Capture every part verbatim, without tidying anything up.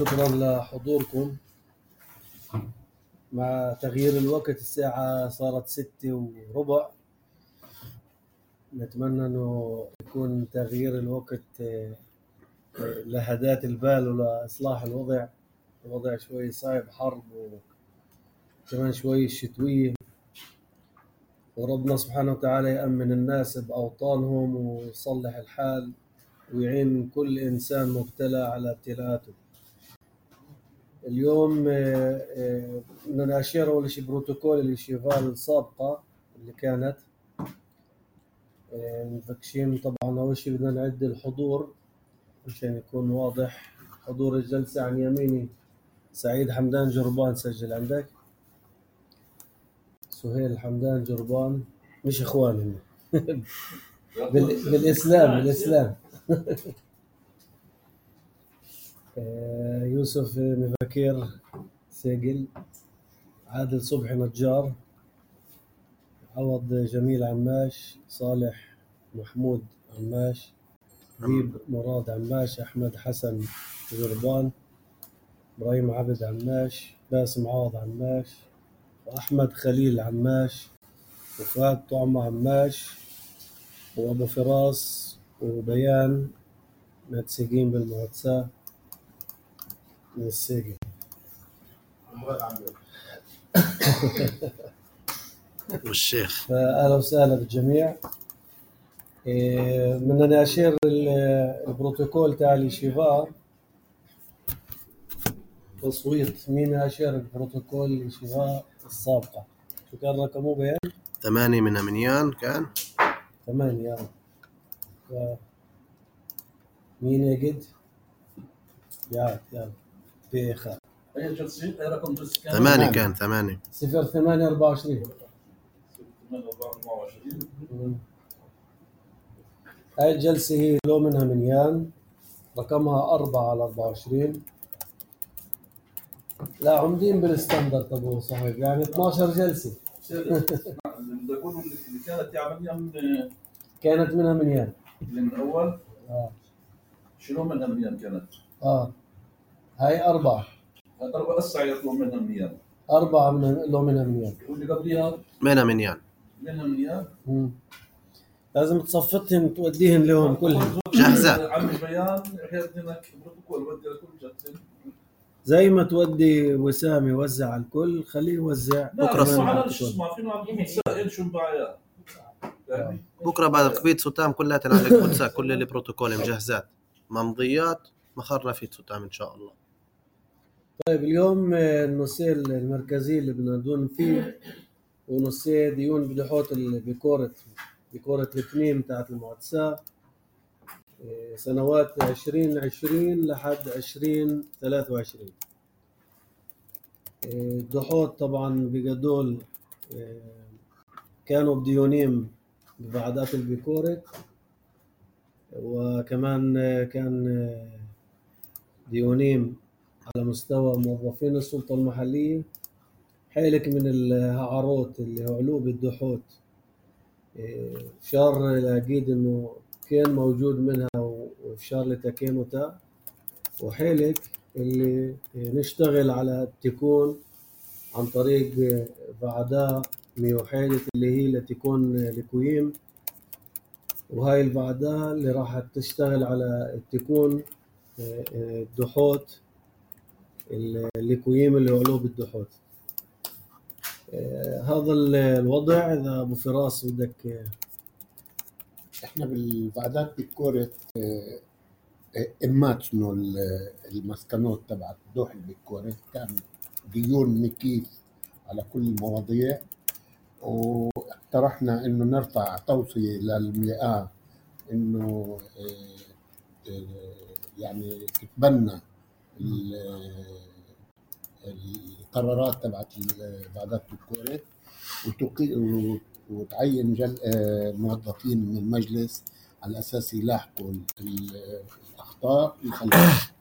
شكرا لحضوركم. مع تغيير الوقت الساعة صارت ستة وربع، نتمنى انه يكون تغيير الوقت لهداة البال ولإصلاح الوضع. الوضع شوي صعب، حرب وكمان شوي شتوية، وربنا سبحانه وتعالى يأمن الناس بأوطانهم ويصلح الحال ويعين كل إنسان مبتلى على ابتلاءاته. اليوم بدنا نأشير أول شيء بروتوكول الشيفال السابقة اللي كانت مفكشين. طبعا أول شيء بدنا نعد الحضور عشان يكون واضح. حضور الجلسة عن يميني سعيد حمدان جربان، سجل عندك. سهيل حمدان جربان، مش إخواني بالإسلام بالإسلام يوسف مفكير سجل. عادل صبحي نجار، عوض جميل عماش، صالح محمود عماش، حبيب مراد عماش، أحمد حسن جربان، إبراهيم عبد عماش، باسم عوض عماش، وأحمد خليل عماش، وفؤاد طعمة عماش، وأبو فراس وبيان متسجين بالمعتسى من السجن. والشيخ فأهلا وسهلا بالجميع. بدنا نأشير البروتوكول تاع الشيفا تصويت. مين أشير البروتوكول الشيفا السابقة؟ شو كان رقمه بيان؟ ثمانية من أمنيان كان ثمانية. ف... مين يجد؟ يا يا بيخا أي جلسة أي رقم جلسة كان؟ ثمانية كان ثمانية صفر ثمانية أربعة وعشرين. هاي الجلسة هي لو منها منيان، رقمها أربعة على أربعة وعشرين. لا عمدين بالستاندرد أبو صحيح، يعني اثناشر جلسة. بدي أقول اللي كانت عملية من كانت منها منيان اللي من أول. آه. شنو منها منيان كانت؟ آه هاي أربعة. هاي أربعة أسعى يطلب منها منيان. أربعة من لو منها منيان. واللي قبليها منها منيان. منها منيان. مم. لازم تصفتهم توديهم لهم كلهم جاهزة. عم بيان حيث هناك بروتوكول ودي لكل جلسة. زي ما تودي وسام يوزع على الكل، خليه يوزع بكره. اسمع شو اسمع فينا عم نسائل شو مباعيات. بكره بعد قبيت ستام كلها تنعلق بوتسا، كل البروتوكول مجهزات، ممضيات، مخرة في ستام ان شاء الله. طيب اليوم النصير المركزي اللي بدنا ندون فيه ونصير ديون بدحوت بكورة بكورة التميم تاعت المعتسى سنوات عشرين عشرين لحد عشرين ثلاثة وعشرين. الدحوت طبعا بقدول كانوا بديونيم ببعدات البيكورة، وكمان كان ديونيم على مستوى موظفين السلطة المحلية. حيلك من الهعروت اللي هو علوب الدحوت فشار لأكيد انه كان موجود منها وفشار لتكينوتا، وحيلك اللي نشتغل على التكون عن طريق بعداء ميوحيدة اللي هي لتكون لكويم، وهاي البعداء اللي راح تشتغل على التكون الدحوت الليكويم اللي علوب الدحوت. هذا الوضع. إذا أبو فراس بدك. إحنا بالبعدات بالكورة إمات إنه المسكنات تبعت دوح بالكورة كان ديون مكيف على كل المواضيع، واقترحنا إنه نرفع توصية للمئة إنه يعني تتبنى القرارات تبعت البعدات بالكورة وتعين جل موظفين من المجلس على أساس يلاحقوا الأخطاء ويخلصوا.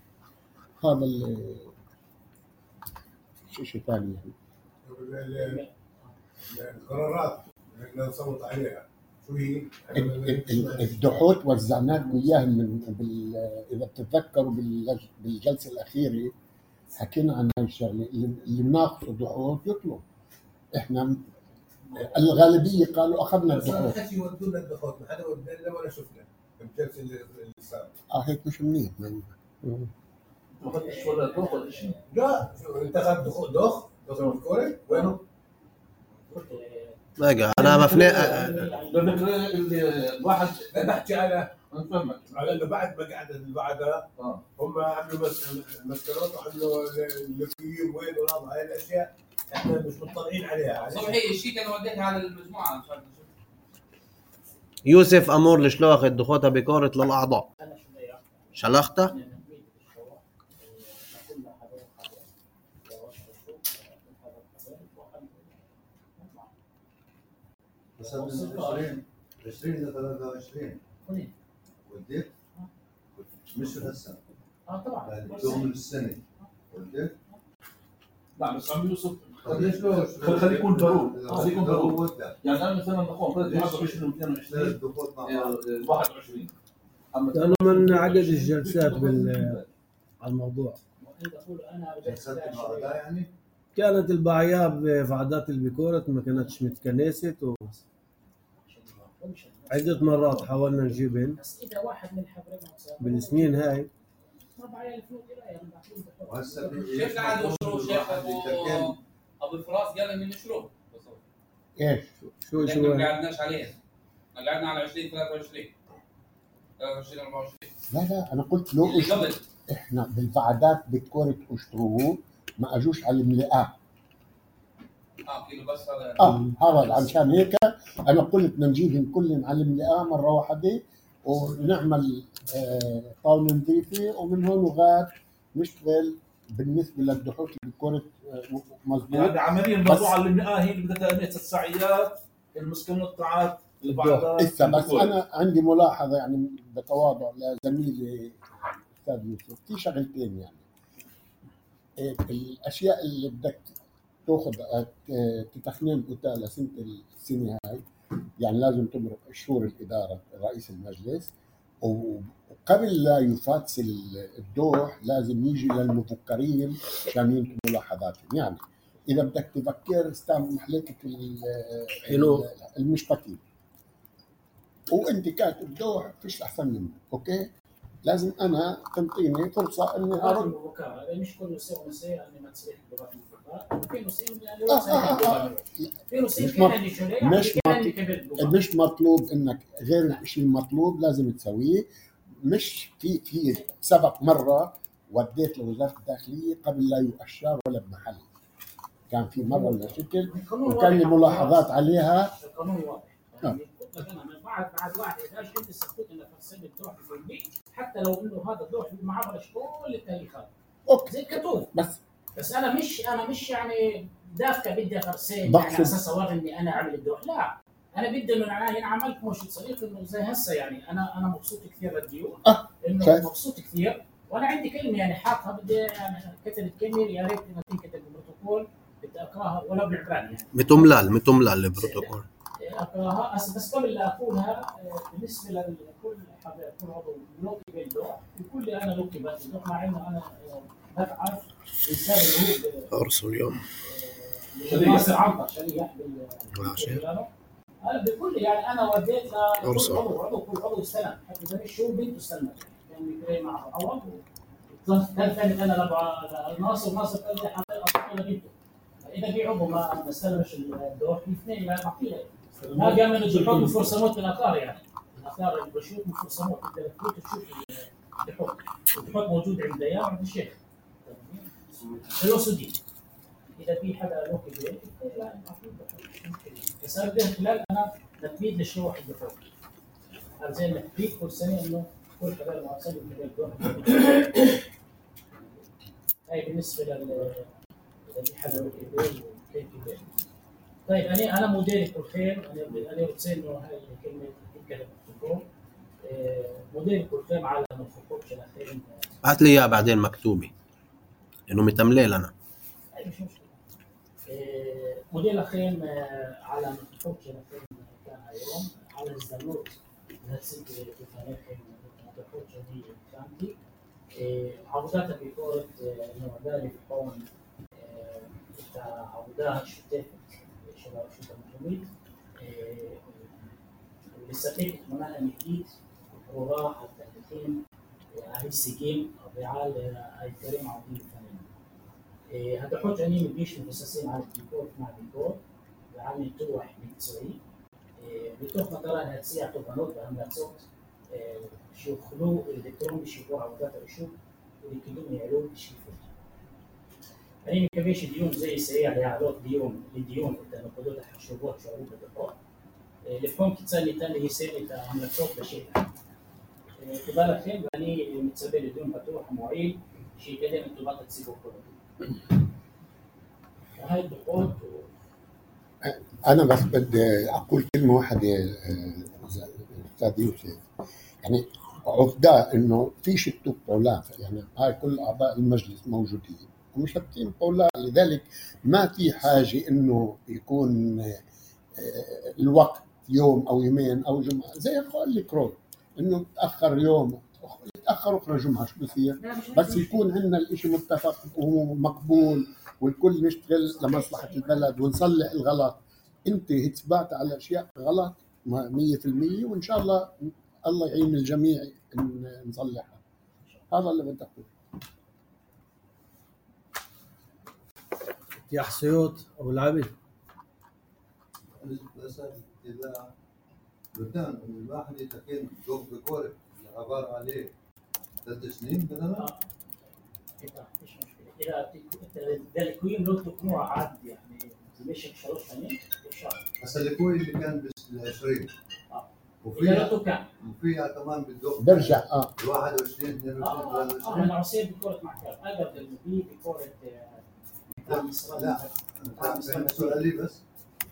هذا شيء ثاني يعني. القرارات اللي نصوت عليها شو هي؟ الدحوت وزعناكم إياها من بال... إذا بتتذكروا بالجلسة الأخيرة حكينا عن هاي الشغله، اللي اللي بناقصه دحوط يطلب. احنا الغالبيه قالوا اخذنا بس انا الدحوط. حكي يودوا لنا الدخول، ما حدا ودنا لنا ولا شفنا الجلسه اللي اللي صارت. اه هيك مش منيح. ما- ما اخذتش ولا دوخ ولا شيء. لا شو انت اخذت دخول دخ دخل الكوره وينه؟ بقى انا مفني لانك اللي الواحد لا بحكي على انا فاهمك. على انه بعد ما قعدت اللي بعدها اه هم عملوا مس- مسكرات وعملوا اللقيم وين وهذا هاي الاشياء احنا مش مطلعين عليها. صبحي الشيك انا وديتها على المجموعه مش عارف شو. يوسف امور لشلوخ دخوتها بكورة للاعضاء شلختها. بس من عشرين عشرين إلى ثلاثة وعشرين وديت مش هسه اه طبعا دوم السنة وديت لا بس عم يوسف ليش لو خليه يكون ضروري خليه يكون ضروري ضروري يعني انا مثلا نقوم ثلاثة ليش؟ وعشرين واثنين ثلاث وعشرين دخول مع بعض واحد وعشرين اما لانه من عقد الجلسات بال على الموضوع. جلسات المعرضة يعني كانت البعياب في عادات البيكورت ما كانتش متكنست، وعدة مرات حاولنا نجيبهن بس اذا واحد من حضرنا بالسنين هاي. وهسه شيخ قاعد مشروع شيخ ابو ابو فراس قال من مشروع ايش؟ شو احنا شو ما قعدناش عليه، قعدنا على عشرين ثلاثة وعشرين ثلاثة وعشرين أربعة وعشرين لا لا انا قلت لو اللي إش- قبل. احنا بالبعدات بكورة اشتروه ما اجوش على الملقاه. اه كيلو بس هذا اه هذا عشان هيك انا قلت بدنا نجيبهم كلهم على الملقاه مره واحده ونعمل آه طاوله نظيفه ومن هون وغاد نشتغل بالنسبه للدحوش بكورة آه مضبوط. يعني عمليا الموضوع اللي من هي اللي بدها تأمين السعيات المسكنات البعض لسه بس انا عندي ملاحظه يعني بتواضع لزميلي استاذ يوسف في شغلتين يعني إيه الاشياء اللي بدك تاخذ تتخنين اوتيل لسنه السنه هاي يعني لازم تمرق شهور الاداره رئيس المجلس وقبل لا يفاتس الدوح لازم يجي للمفكرين عشان ينتبهوا ملاحظاتهم. يعني اذا بدك تفكر استعمل محلكه المشبكين وانت كاتب دوح فيش احسن منه. اوكي لازم انا تنطيني فرصه اني ارد. هذا مش كل نساء ونساء اني ما تصير لغات المفكرة في نساء في نساء مش مش مطلوب انك غير الشيء المطلوب لازم تسويه. مش في في سبق مره وديت لوزاره الداخليه قبل لا يؤشر ولا بمحل كان في مره ولا شكل وكان لي ملاحظات عليها. القانون واضح يعني انا من بعد بعد واحد اذا انت سكوت انك تصيب الدوح في البيت حتى لو انه هذا الدوح ما عبرش كل التاريخات اوكي زي كتوب بس بس انا مش انا مش يعني دافكه بدي افرسين يعني على اساس اوري اني انا اعمل الدوح. لا انا بدي انه انا هنا عملت مش صديق انه زي هسه يعني انا انا مبسوط كثير للديون أه. انه شايف. مبسوط كثير وانا عندي كلمه يعني حاطها بدي يعني كتبت كلمه يا ريت انها تنكتب بالبروتوكول بدي اقراها ولا بالعبراني يعني متملال متملال البروتوكول اقراها بس قبل لا اقولها بالنسبه لكل حدا كل عضو لوكي بالدوح يقول لي انا لوكي بالدوح مع انه انا بتعب الانسان اللي هو ارسل اليوم ناصر عنتر شريح بال انا بقول لي يعني انا وديت لكل عضو عضو كل عضو استلم حتى اذا مش هو بنته استلمت يعني بيقرا معه اول كان ثاني انا ناصر ناصر قال لي حطيت لبنته اذا في عضو ما استلمش الدوح الاثنين لا معطيه ما قام من الجحود مفرسموت الاثار يعني الاثار البشوط مفرسموت انت تفوت تشوف الجحود الجحود موجود عند ديان وعند الشيخ الوسودي اذا في حدا له في البيت لا بس انا بدي خلال انا تنفيذ لشروح الجحود هذا زي التنفيذ كل سنه انه كل حدا المعصب في الدوح. هاي بالنسبه لل اذا في حدا له في البيت وكيف في البيت. طيب انا انا مديرك بالخير انا انا بتصير انه هاي الكلمه تتكلم بالخير مديرك بالخير على ما تفكرش الاخير هات لي اياها بعدين مكتوبه انه متمليل انا اي مش مشكله. مدير الاخير على ما تفكرش الاخير كان يوم على الزنوط هالسنه في تاريخ ما تفكرش دي كانتي عوداتها بكورة إنه ذلك هون عودها شتات شباب شو تمشي لسه منها مكيد وراح حتى الحين هاي السجين رعال هاي كريم عودين الثانيين هذا حوج أني مبيش مبسسين على الديكور مع الديكور بعمل توح متسوي بتوح مثلا هتسيع طبانوت بعمل صوت شو خلو الإلكترون بيشوفوا عودات الشوك اللي كلهم يعلون يشوفوا يعني كميش ديون زي سريع ليعلوت ديون لديون إذا نقدر حشوفوها شعوب الدفاع الفون كتسالي تاني يسالي تعمل صوت بشيء كبالك فين يعني متسبب بدون فتوح معين شيء كده انتوا بقى تسيبوا كله هاي الضغوط انا بس بدي اقول كلمه واحده استاذ يوسف يعني عقداء انه في شتو بولا يعني هاي كل اعضاء المجلس موجودين ومشتتين بولا لذلك ما في حاجه انه يكون الوقت يوم او يومين او جمعه زي قال لك روي انه تاخر يوم تاخر اخرى جمعه شو بصير بس يكون عندنا الاشي متفق ومقبول والكل نشتغل لمصلحه البلد ونصلح الغلط. انت اتبعت على اشياء غلط مية بالمية وان شاء الله الله يعين الجميع ان نصلحها. هذا اللي بدي اقوله. يا حسيوط ابو العبيد إذا بدنا الواحد يتكلم دوق بكورة عبارة عليه ثلاث سنين بدنا مش مشكلة إذا الكوين لو تكون عاد يعني مش شروط ثانية الشهر هسا الكوي اللي كان بال عشرين وفيها وفيها كمان بالدوق برجع اه واحد وعشرين اثنين وعشرين ثلاثة وعشرين أنا عصير بكورة معكر أقرب للمبي بكورة لا أنا سؤالي بس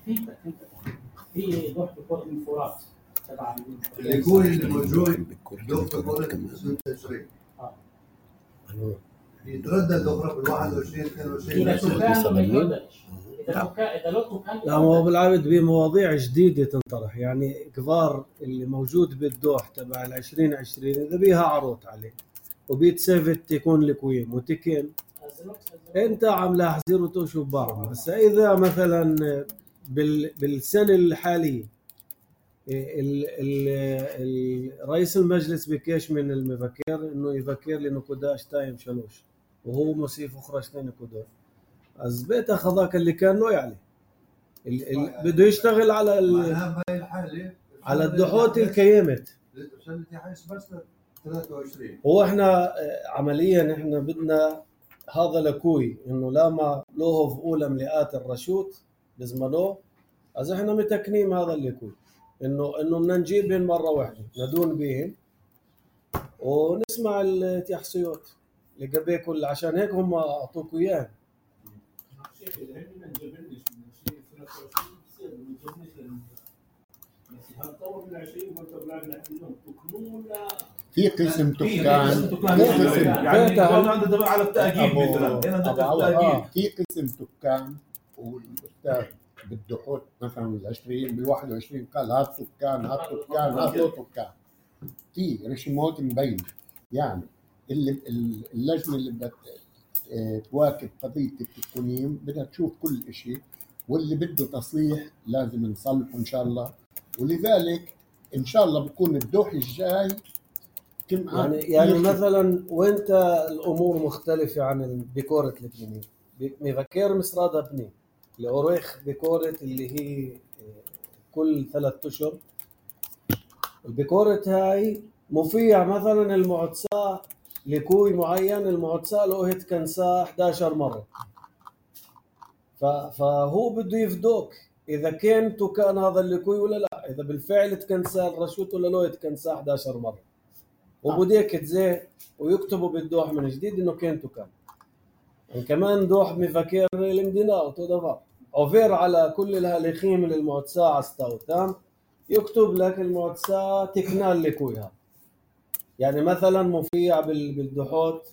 فهمتك فهمتك في دوح بكورة من فورات تبع الكوي اللي موجود دوق بكورة سنة عشرين اه يتردد أخرى بال واحد وعشرين اثنين وعشرين إذا تكان ما يترددش إذا تكان إذا لو تكان لا هو بالعبد بمواضيع جديدة تنطرح يعني كبار اللي موجود بالدوح تبع العشرين عشرين إذا بيها عروض عليه وبيتسافت تكون لكويم وتكين أنت عم لاحظين وتشوف بعض بس إذا مثلا بال بالسنة الحالية رئيس المجلس بكيش من المفكر انه يفكر لي نقوداش تايم شلوش وهو مصيف اخرى شتين نقوداش از بيت اخذاك اللي كان له يعني بده يشتغل على على الدحوت الكيمت هو احنا عمليا احنا بدنا هذا لكوي انه لما له في اولى ملئات الرشوت بزمنه از احنا متكنيم هذا اللي كوي انه انه بدنا نجيبهم مره واحده ندون بهم ونسمع التحصيات اللي قبل كل عشان هيك هم اعطوك اياه في قسم تكان يعني عنده على التأكيد مثلا هنا في قسم تكان والاستاذ بالدحوت مثلا بالعشرين بالواحد وعشرين قال هات تكان هات تكان هات تكان في رشيمات مبينة يعني اللي اللجنة اللي بدها تواكب قضية التكوين بدها تشوف كل شيء واللي بده تصليح لازم نصلحه إن شاء الله ولذلك إن شاء الله بكون الدوح الجاي كم يعني يعني مثلا وانت الأمور مختلفة عن بكورة البنين مفكر مصرادة بنين الأوريخ بكورة اللي هي كل ثلاثة أشهر البكورة هاي مفيع مثلا المعدساء لكوي معين المعدساء له هتكنساه إحدى عشرة مرة فهو بده يفدوك إذا كان تكان هذا اللكوي ولا لا إذا بالفعل تكنساه الرشوت ولا له هتكنساه إحدى عشرة مرة وبديك تزيه ويكتبوا بالدوح من جديد إنه كان تكان يعني كمان دوح مفكر المدينة وتدفع أوفير على كل الهالخيم للمعدساء عستاو تام يكتب لك المعدساء تكنال لكويها يعني مثلا مفيع بالدحوت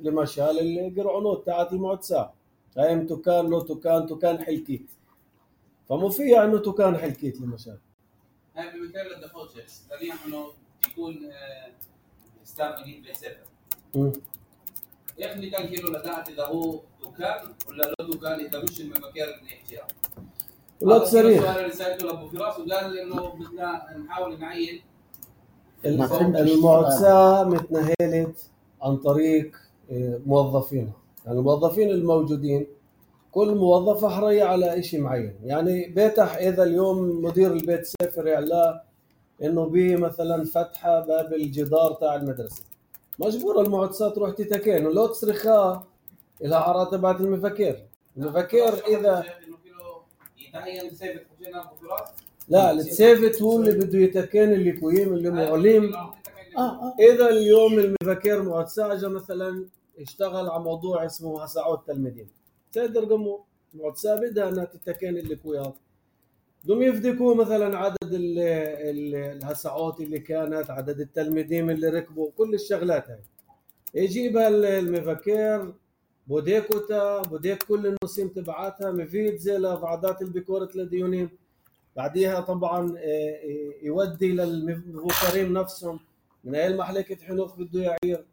لمشال القرعنوت تاعت المعدساء هاي تكان لو تكان تكان حلكيت فمفيع انه تكان حلكيت لمشال هاي بمثال الدحوت شخص ثانيا انه يكون ستار جديد بلاي سيفر مم. ايش اللي كان كيلو لدعت اذا هو دكان ولا له دكان اذا مش المكان اللي يحكيها؟ ولا صريح. السؤال اللي سالته لابو فراس وقال انه بدنا نحاول نعين ما فهمتش المعتسى متنهلت عن طريق موظفينها، يعني الموظفين الموجودين كل موظف حرية على إشي معين. يعني بيتح إذا اليوم مدير البيت سافر يعلاه إنه بيه مثلا فتحة باب الجدار تاع المدرسة، مجبور المعتسى تروح تتكين ولو تصرخها إلى عرا تبعت المفكر. المفكر إذا يتعين سيفت حجينا ابو فراس لا السيفت هو اللي بده يتكين اللي كويم اللي معلم. آه إذا اليوم المفكر معتسى اجى مثلا اشتغل على موضوع اسمه هسعود تلميذين، تقدر قموا معتسى بدها انها تتكين اللي كويات بدهم يفدكوا مثلا عدد الهسعات اللي كانت، عدد التلميذين اللي ركبوا، كل الشغلات هاي يجيبها المفكر بوديكوتا بوديك كل النصيم تبعاتها مفيد زي لفعدات البكورة لديونين. بعديها طبعا يودي للمفكرين نفسهم من اي المحلكة حنوخ بده يعير،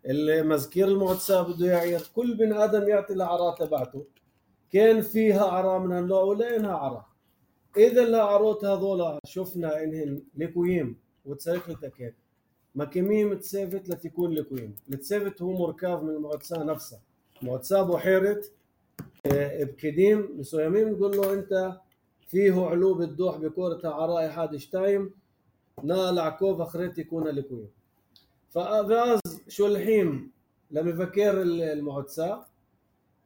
المذكير المعتسى بده يعير، كل بن ادم يعطي العراء تبعته. كان فيها عراء من هالنوع ولا انها عراء. اذا العروت هذولا شفنا انهن لكويم وتسيخ لتكين مكميم تسيفت لتكون لكويم. التسيفت هو مركب من المعتسى نفسها. معتسى بحيرة بكديم مسويمين نقول له انت فيه علوب الدوح بكورة عراء حاد شتايم نال عكوف اخرت يكون لكويم. فغاز شو الحين لما يفكر المعتسى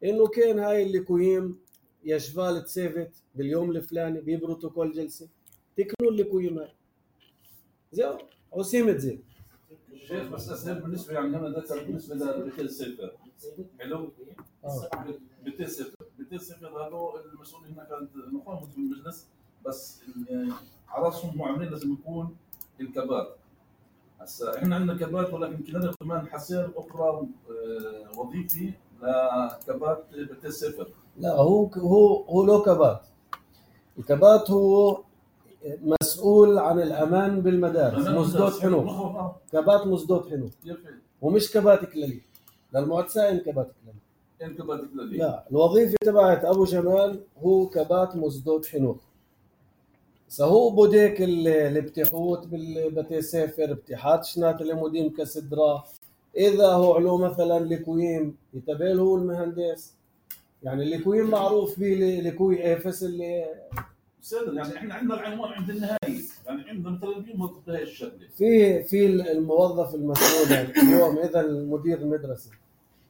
انه كان هاي الليكويم يشفال تسيفت باليوم الفلاني ببروتوكول جلسه تكنوا الليكويم هاي زي عصيمة زي الشيخ بس اسهل بالنسبه يعني هنا ده بالنسبه لبيت السفر حلو بيت السفر بيت السفر هذول المسؤولين هنا كانت نقوم بالمجلس بس على راسهم معاملين لازم يكون الكبات. هسا احنا عندنا كبات ولكن كنا كمان حصير اخرى وظيفي لكبات بيت السفر. لا هو هو هو له كبات. الكبات هو مسؤول عن الامان بالمدارس مصدوت حنوخ. كبات مصدوت حنوخ ومش كبات كلالي للمعتسى ان كبات كلالي ان كبات كلالي. لا الوظيفه تبعت ابو جمال هو كبات مصدوت حنوخ. سهو بوديك الابتحوت بالبتي سافر ابتحات شنات المدين كسدرا. اذا هو علو مثلا لكويم يتبال هو المهندس، يعني لكويم معروف به لكوي افس اللي سيد يعني احنا عندنا العنوان عند النهايه، يعني عندنا مثلا اليوم هاي الشغله في في الموظف المسؤول. يعني اليوم اذا المدير المدرسه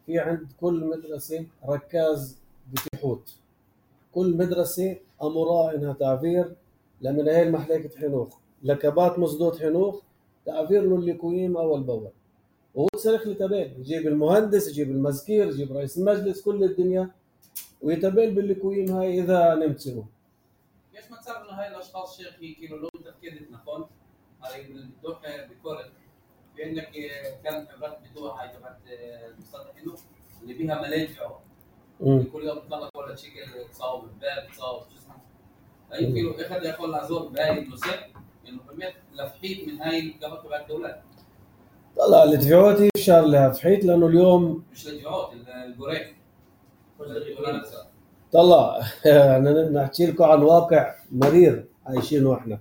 في عند كل مدرسه ركاز بتحوت، كل مدرسه امرها انها تعبير لمن هي المحلكة حنوخ لكبات مصدوت حنوخ تعبير له الليكويم اول باول وهو تصرخ لتبال يجيب المهندس يجيب المذكير يجيب رئيس المجلس كل الدنيا ويتبال بالليكويم هاي اذا نمتسلوا. ليش ما تصير انه هاي الاشخاص شيخ يكونوا لهم تفكير نكون على الدوح بكورة في عندك كان عبارات بدوح هاي تبعت المصطلح حنوخ اللي بيها ملايين فعوه كل يوم بتطلق ولا شكل تصاوب الباب تصاوب شو اسمه يمكن اخذ يقول لازور بهاي المسك انه كميه لفحيت من هاي الكبات تبع الدولات. طلع الدفعوتي اشار لها فحيت لانه اليوم مش الدفعوت القريب طلع انا نحكي لكم عن واقع مرير عايشينه احنا.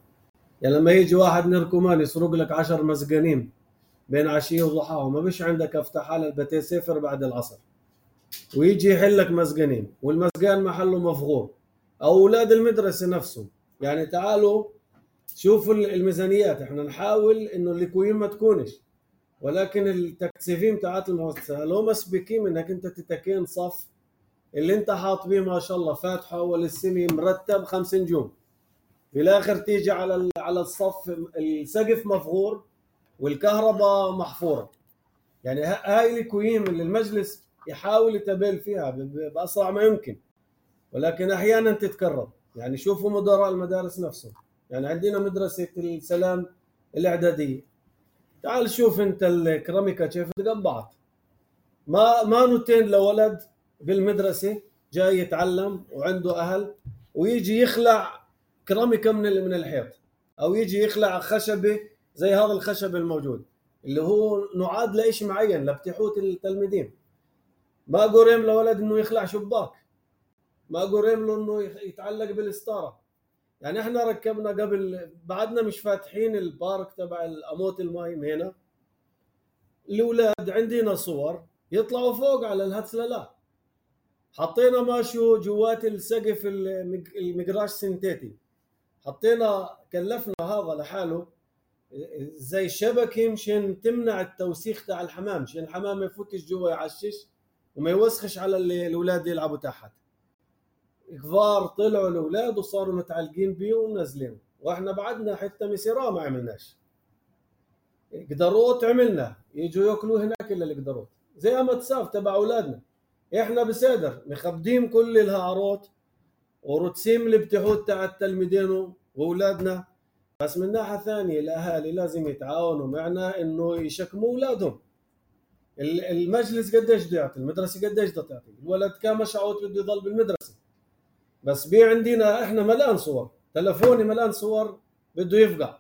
يعني لما يجي واحد نركمان يسرق لك عشر مسجنين بين عشيه وضحاها وما بيش عندك افتح على البتي سفر بعد العصر ويجي يحل لك مسجنين والمسجان محله مفغور او اولاد المدرسه نفسهم. يعني تعالوا شوفوا الميزانيات، احنا نحاول انه الليكويم ما تكونش ولكن التكثيفين تاعت المؤسسه لو مسبكين انك انت تتكين صف اللي انت حاط بيه ما شاء الله فاتحه والسمي مرتب خمس نجوم في الاخر تيجي على على الصف السقف مفغور والكهرباء محفوره. يعني هاي الليكويم اللي المجلس يحاول يتبل فيها باسرع ما يمكن ولكن احيانا تتكرر. يعني شوفوا مدراء المدارس نفسهم، يعني عندنا مدرسه السلام الاعداديه تعال شوف انت الكراميكا كيف تقبعت ما ما نوتين لولد بالمدرسه جاي يتعلم وعنده اهل ويجي يخلع كراميكا من من الحيط او يجي يخلع خشبه زي هذا الخشب الموجود اللي هو نعاد لإشي معين لبتحوت التلميذين. ما قرم لولد انه يخلع شباك، ما قرم له انه يتعلق بالستاره. يعني احنا ركبنا قبل، بعدنا مش فاتحين البارك تبع الاموت المايم هنا، الاولاد عندنا صور يطلعوا فوق على الهتسللات، حطينا ماشو جوات السقف المقراش سنتيتي، حطينا كلفنا هذا لحاله زي شبكه مشان تمنع التوسيخ تاع الحمام، مشان الحمام ما يفوتش جوا يعشش وما يوسخش على الاولاد يلعبوا تحت. كبار طلعوا الاولاد وصاروا متعلقين بيه ونازلين، واحنا بعدنا حتى مسيرة ما عملناش. قدروت عملنا، يجوا ياكلوا هناك الا القدروت زي ما تساف تبع اولادنا. احنا بسادر مخبدين كل الهاروت ورتسيم الابتحوت تاع التلميذين واولادنا، بس من ناحيه ثانيه الاهالي لازم يتعاونوا معنا انه يشكموا اولادهم. المجلس قديش بده يعطي، المدرسه قديش بدها تعطي، الولد كان مشعوط بده يضل بالمدرسه، بس بي عندنا احنا ملان صور، تلفوني ملان صور بده يفقع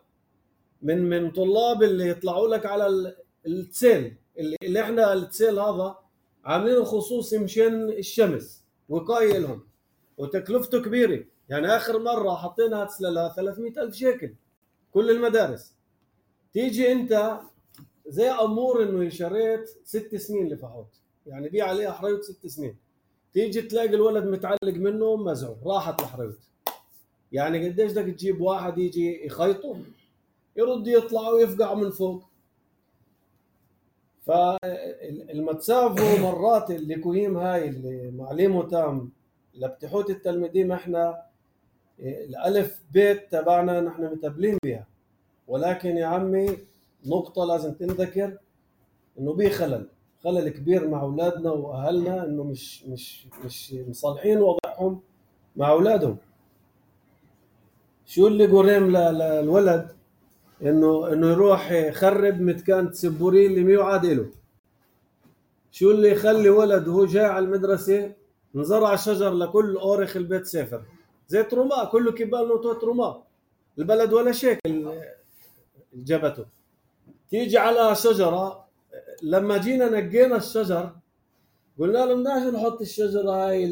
من من طلاب اللي يطلعوا لك على التسيل، اللي, اللي احنا التسيل هذا عاملينه خصوصي مشان الشمس وقايه لهم وتكلفته كبيره. يعني اخر مره حطينا هتسللها ثلاثمئة ألف شيكل كل المدارس. تيجي انت زي امور انه شريت ست سنين لفحوط، يعني بيع عليها حريوت ست سنين، تيجي تلاقي الولد متعلق منه مزعو راحت الحريوت. يعني قديش بدك تجيب واحد يجي يخيطه يرد يطلع ويفقع من فوق. فالمتسافو مرات الليكوهيم هاي اللي معلمه تام لبتحوت التلميذين، احنا الالف بيت تبعنا نحن متبلين بها، ولكن يا عمي نقطة لازم تنذكر انه بيه خلل خلل كبير مع اولادنا واهلنا، انه مش مش مش مصالحين وضعهم مع اولادهم. شو اللي قريم للولد انه انه يروح يخرب متكان سبوري اللي ميو عاد له؟ شو اللي يخلي ولد وهو جاي على المدرسه نزرع شجر لكل اورخ البيت سافر زي تروما، كله كبال نوتو تروما، البلد ولا شكل جبته. تيجي على شجره، لما جينا نقينا الشجر قلنا لهم بدناش نحط الشجره هاي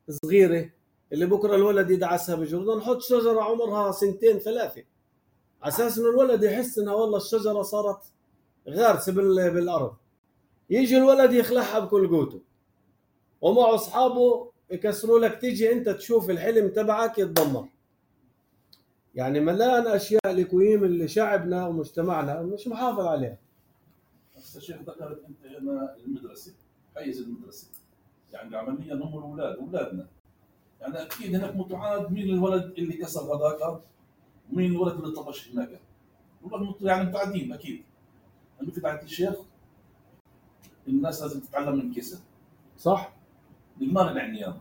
الصغيره اللي بكره الولد يدعسها بجرده، نحط شجره عمرها سنتين ثلاثه على اساس انه الولد يحس انها والله الشجره صارت غارسه بالارض. يجي الولد يخلعها بكل قوته ومع اصحابه يكسروا لك، تيجي انت تشوف الحلم تبعك يتدمر. يعني ملان اشياء لكويم اللي شعبنا ومجتمعنا مش محافظ عليها. بس الشيخ ذكرت انت هنا المدرسه، حيز المدرسه، يعني عمليا هم الاولاد اولادنا، يعني اكيد هناك متعاد مين الولد اللي كسر هذاك ومين الولد اللي طبش هناك، يعني متعدين اكيد. انه في تعدي الشيخ الناس لازم تتعلم من كسر، صح؟ بالمال العنيان.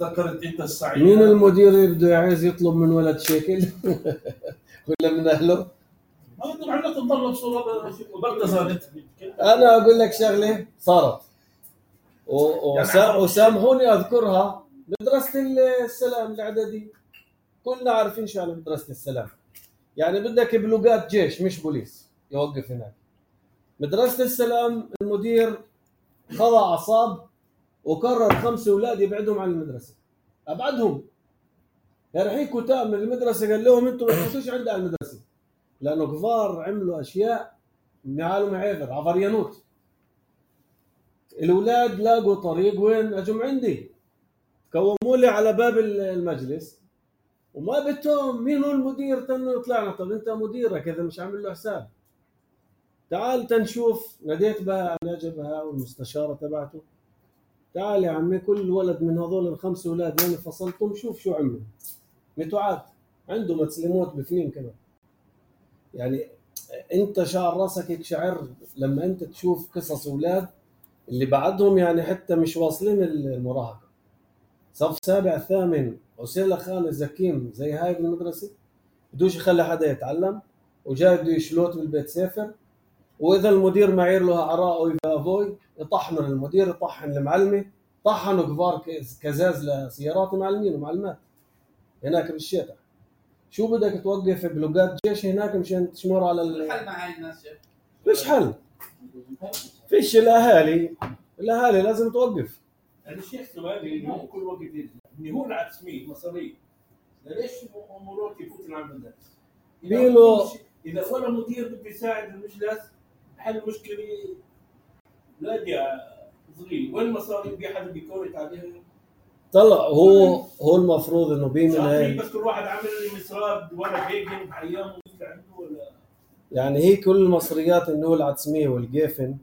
ذكرت انت السعي، مين المدير بده عايز يطلب من ولد شكل ولا من اهله؟ ما انتم عندنا تضل بصوره وبرتزانت. انا اقول لك شغله صارت وسامحوني اذكرها، مدرسه السلام الاعدادي كلنا عارفين شو على مدرسه السلام، يعني بدك بلوقات جيش مش بوليس يوقف هناك. مدرسه السلام المدير خضع اعصاب وقرر خمسه اولاد يبعدهم عن المدرسه، ابعدهم يرحيكوا تام من المدرسه، قال لهم انتم ما تخشوش عندي على المدرسه، لانه كفار عملوا اشياء معالم عيذر عفريانوت. الاولاد لاقوا طريق وين اجوا عندي، كوموا لي على باب المجلس وما بدهم مين هو المدير تنو يطلعنا. طب انت مديرك اذا مش عامل له حساب تعال تنشوف. ناديت بها نجبها والمستشاره تبعته، تعال يا عمي كل ولد من هذول الخمس اولاد اللي فصلتهم شوف شو عملوا، متوعد عنده مسلموت بفنين كمان. يعني انت شعر راسك يقشعر لما انت تشوف قصص اولاد اللي بعدهم يعني حتى مش واصلين المراهقه، صف سابع ثامن وسيله خالص زكيم زي هاي بالمدرسه، بدوش يخلي حدا يتعلم وجاي بده يشلوت بالبيت سافر، واذا المدير معير له عراء ويفافوي يطحنوا المدير يطحن المعلمه، طحنوا كبار كزاز لسيارات معلمين ومعلمات هناك بالشتاء. شو بدك توقف بلوقات جيش هناك مشان تشمر على الحل مع هاي الناس شيخ؟ فيش حل. فيش الاهالي الاهالي لازم توقف. يعني الشيخ سؤالي انه كل وقت انه هو العتسمي مصاري ليش مرات يفوت على المدارس؟ بيقولوا اذا ولا مدير بده يساعد المجلس حل مشكله لاقي صغير وين المصاري في حدا بيكورت عليهم؟ طلع هو هو المفروض انه بيمن هاي بس كل واحد عامل لي مسراب ولا بيجن بحيامه عنده ولا يعني هي كل المصريات انه العتسميه والجيفن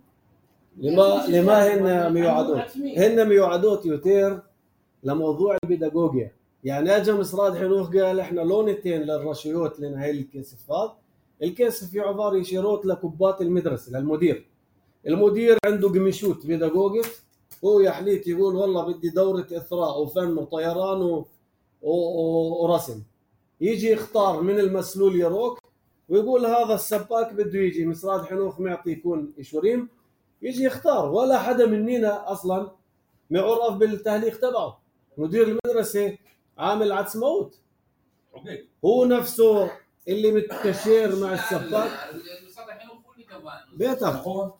لما لما هن ميوعدوت هن ميوعدوت يوتير لموضوع البيداغوجيا. يعني اجى مصراد حنوخ قال احنا لونتين للرشيوت لنا هاي الكيسف هذا الكيسف في عباره يشيروت لكبات المدرسه للمدير. المدير عنده قميشوت بيداغوجي هو يا حليت يقول والله بدي دوره اثراء وفن وطيران و... و... ورسم. يجي يختار من المسلول يروك ويقول هذا السباك بده يجي مصراد حنوخ معطي يكون إشوريم يجي يختار. ولا حدا مننا اصلا معرف بالتهليق تبعه. مدير المدرسه عامل عدس موت هو نفسه اللي متكشير مع السباك بيتها بيتها هو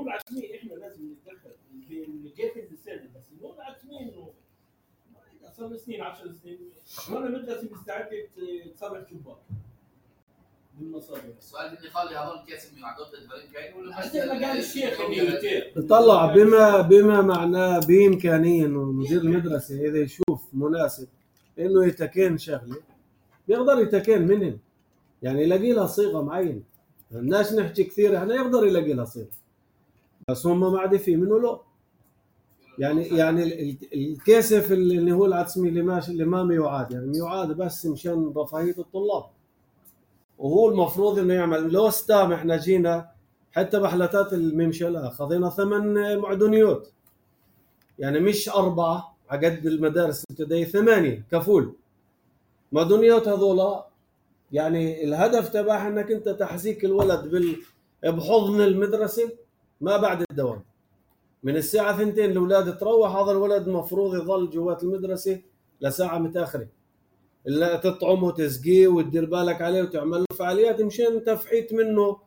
العتسمي احنا لازم نتدخل كيف السنه بس هو العتسمي انه صار سنين عشر سنين وانا مدرسه مستعده تصرف شباك بالمصاري. السؤال بدي خلي هذول كيس ميوعدوت الدورين كاين ولا بس ما قال الشيخ طلع بما بما معناه بامكانيه انه مدير المدرسه اذا يشوف مناسب انه يتكين شغله بيقدر يتكين منهم. يعني يلاقي لها صيغه معينه. الناس نحكي كثير احنا يقدر يلاقي لها صيغه بس هم ما عاد في منه له. يعني يعني الكيسف اللي هو العتسمي اللي ماشي اللي ما ميوعاد يعني ميوعاد بس مشان رفاهيه الطلاب. وهو المفروض انه يعمل لو ستام. احنا جينا حتى بحلتات الممشلة خذينا ثمان معدنيات يعني مش أربعة عقد المدارس الابتدائية ثمانية كفول معدنيات. هذولا يعني الهدف تبعها انك انت تحزيك الولد بال بحضن المدرسة ما بعد الدوام من الساعة ثنتين الأولاد تروح. هذا الولد مفروض يظل جوات المدرسة لساعة متأخرة إلا تطعمه وتسقيه وتدير بالك عليه وتعمل له فعاليات مشان تفحيت منه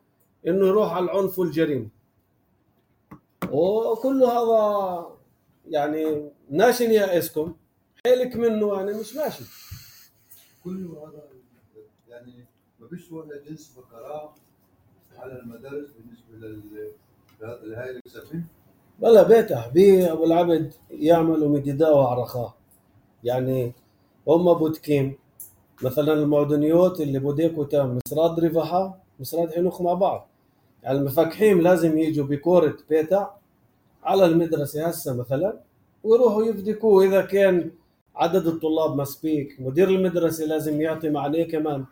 إنه يروح على العنف والجريمة. وكل هذا يعني ناشن يائسكم حيلك منه يعني مش ماشي. كله هذا يعني ما فيش ولا جنس فقراء على المدارس بالنسبه لهاي الكسفين. ولا بيته بي ابو العبد يعملوا مديداوة على رخاء. يعني هم بودكين مثلا المعدنيات اللي بوديكو تام مصراد رفحة مصراد حنوخ مع بعض. يعني المفكحين لازم يجوا بكورة بيتا على المدرسة هسه مثلا ويروحوا يفدكوه. إذا كان عدد الطلاب مسبيك مدير المدرسة لازم يعطي عليه كمان.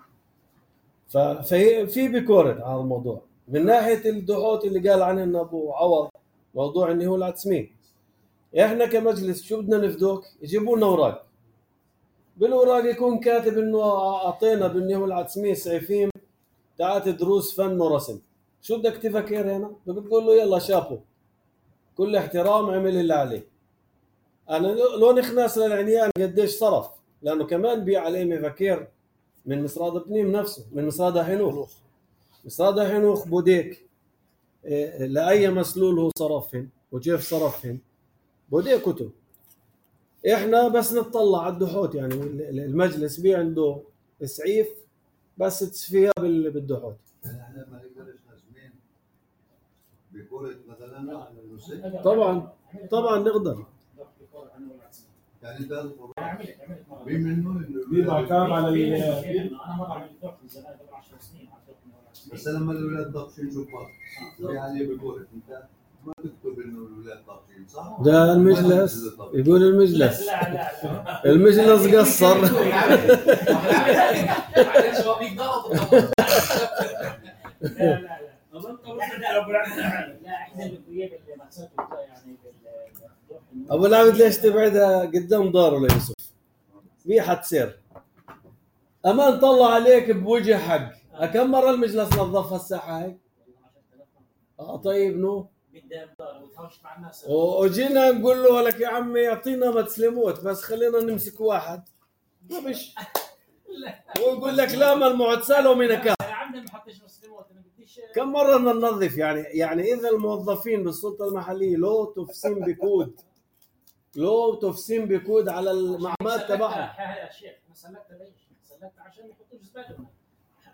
ففي بكورة هذا الموضوع. من ناحية الدحوت اللي قال عنه أبو عوض موضوع إنه هو العتسمين إحنا كمجلس شو بدنا نفدوك يجيبوا لنا أوراق بالأوراق يكون كاتب إنه أعطينا بإنه هو العتسمين سعيفين تعال دروس فن ورسم. شو بدك تفكر هنا؟ بتقول له يلا شافوا كل احترام عمل اللي عليه. أنا لو نخناس للعنيان قديش صرف لأنه كمان بيع عليه مفكر من مصراد بنيم نفسه من مصراد حنوخ. مصراد حنوخ بوديك إيه لأي مسلول هو صرفهن وكيف صرفهن بوديك كتب. إحنا بس نطلع على الدحوت يعني المجلس بي عنده سعيف بس تسفيها بالدحوت. احنا ما نقدرش نسمين بكورة مثلا طبعا طبعا نقدر. يعني ده بمنه بيبقى كام على انا مره عملت دوق من زمان قبل عشر سنين بس لما الاولاد طابشين شوفات يعني بكورة انت ما تكتب انه الاولاد طابشين صح؟ ده المجلس يقول المجلس لا لا لا المجلس قصر. معلش هو بيقدر لا لا لا احنا الكويب اللي مقصود يعني ابو العبد ليش تبعدها قدام داره ليوسف بي حتسير امان طلع عليك بوجه حق. كم مره المجلس نظفها الساحه هاي؟ اه طيب نو مع الناس وجينا نقول له لك يا عمي يعطينا ما تسلموت بس خلينا نمسك واحد ما بش ويقول لك لا ما المعتسله ومن كان يا عمي ما حطيش مسلموت انا بديش كم مرة بدنا ننظف يعني يعني إذا الموظفين بالسلطة المحلية لو تفسين بكود لو تفسين بكود على المعمات تبعهم. يا شيخ انا سلكت ليش؟ سلكت عشان يحطوا الزباله هناك.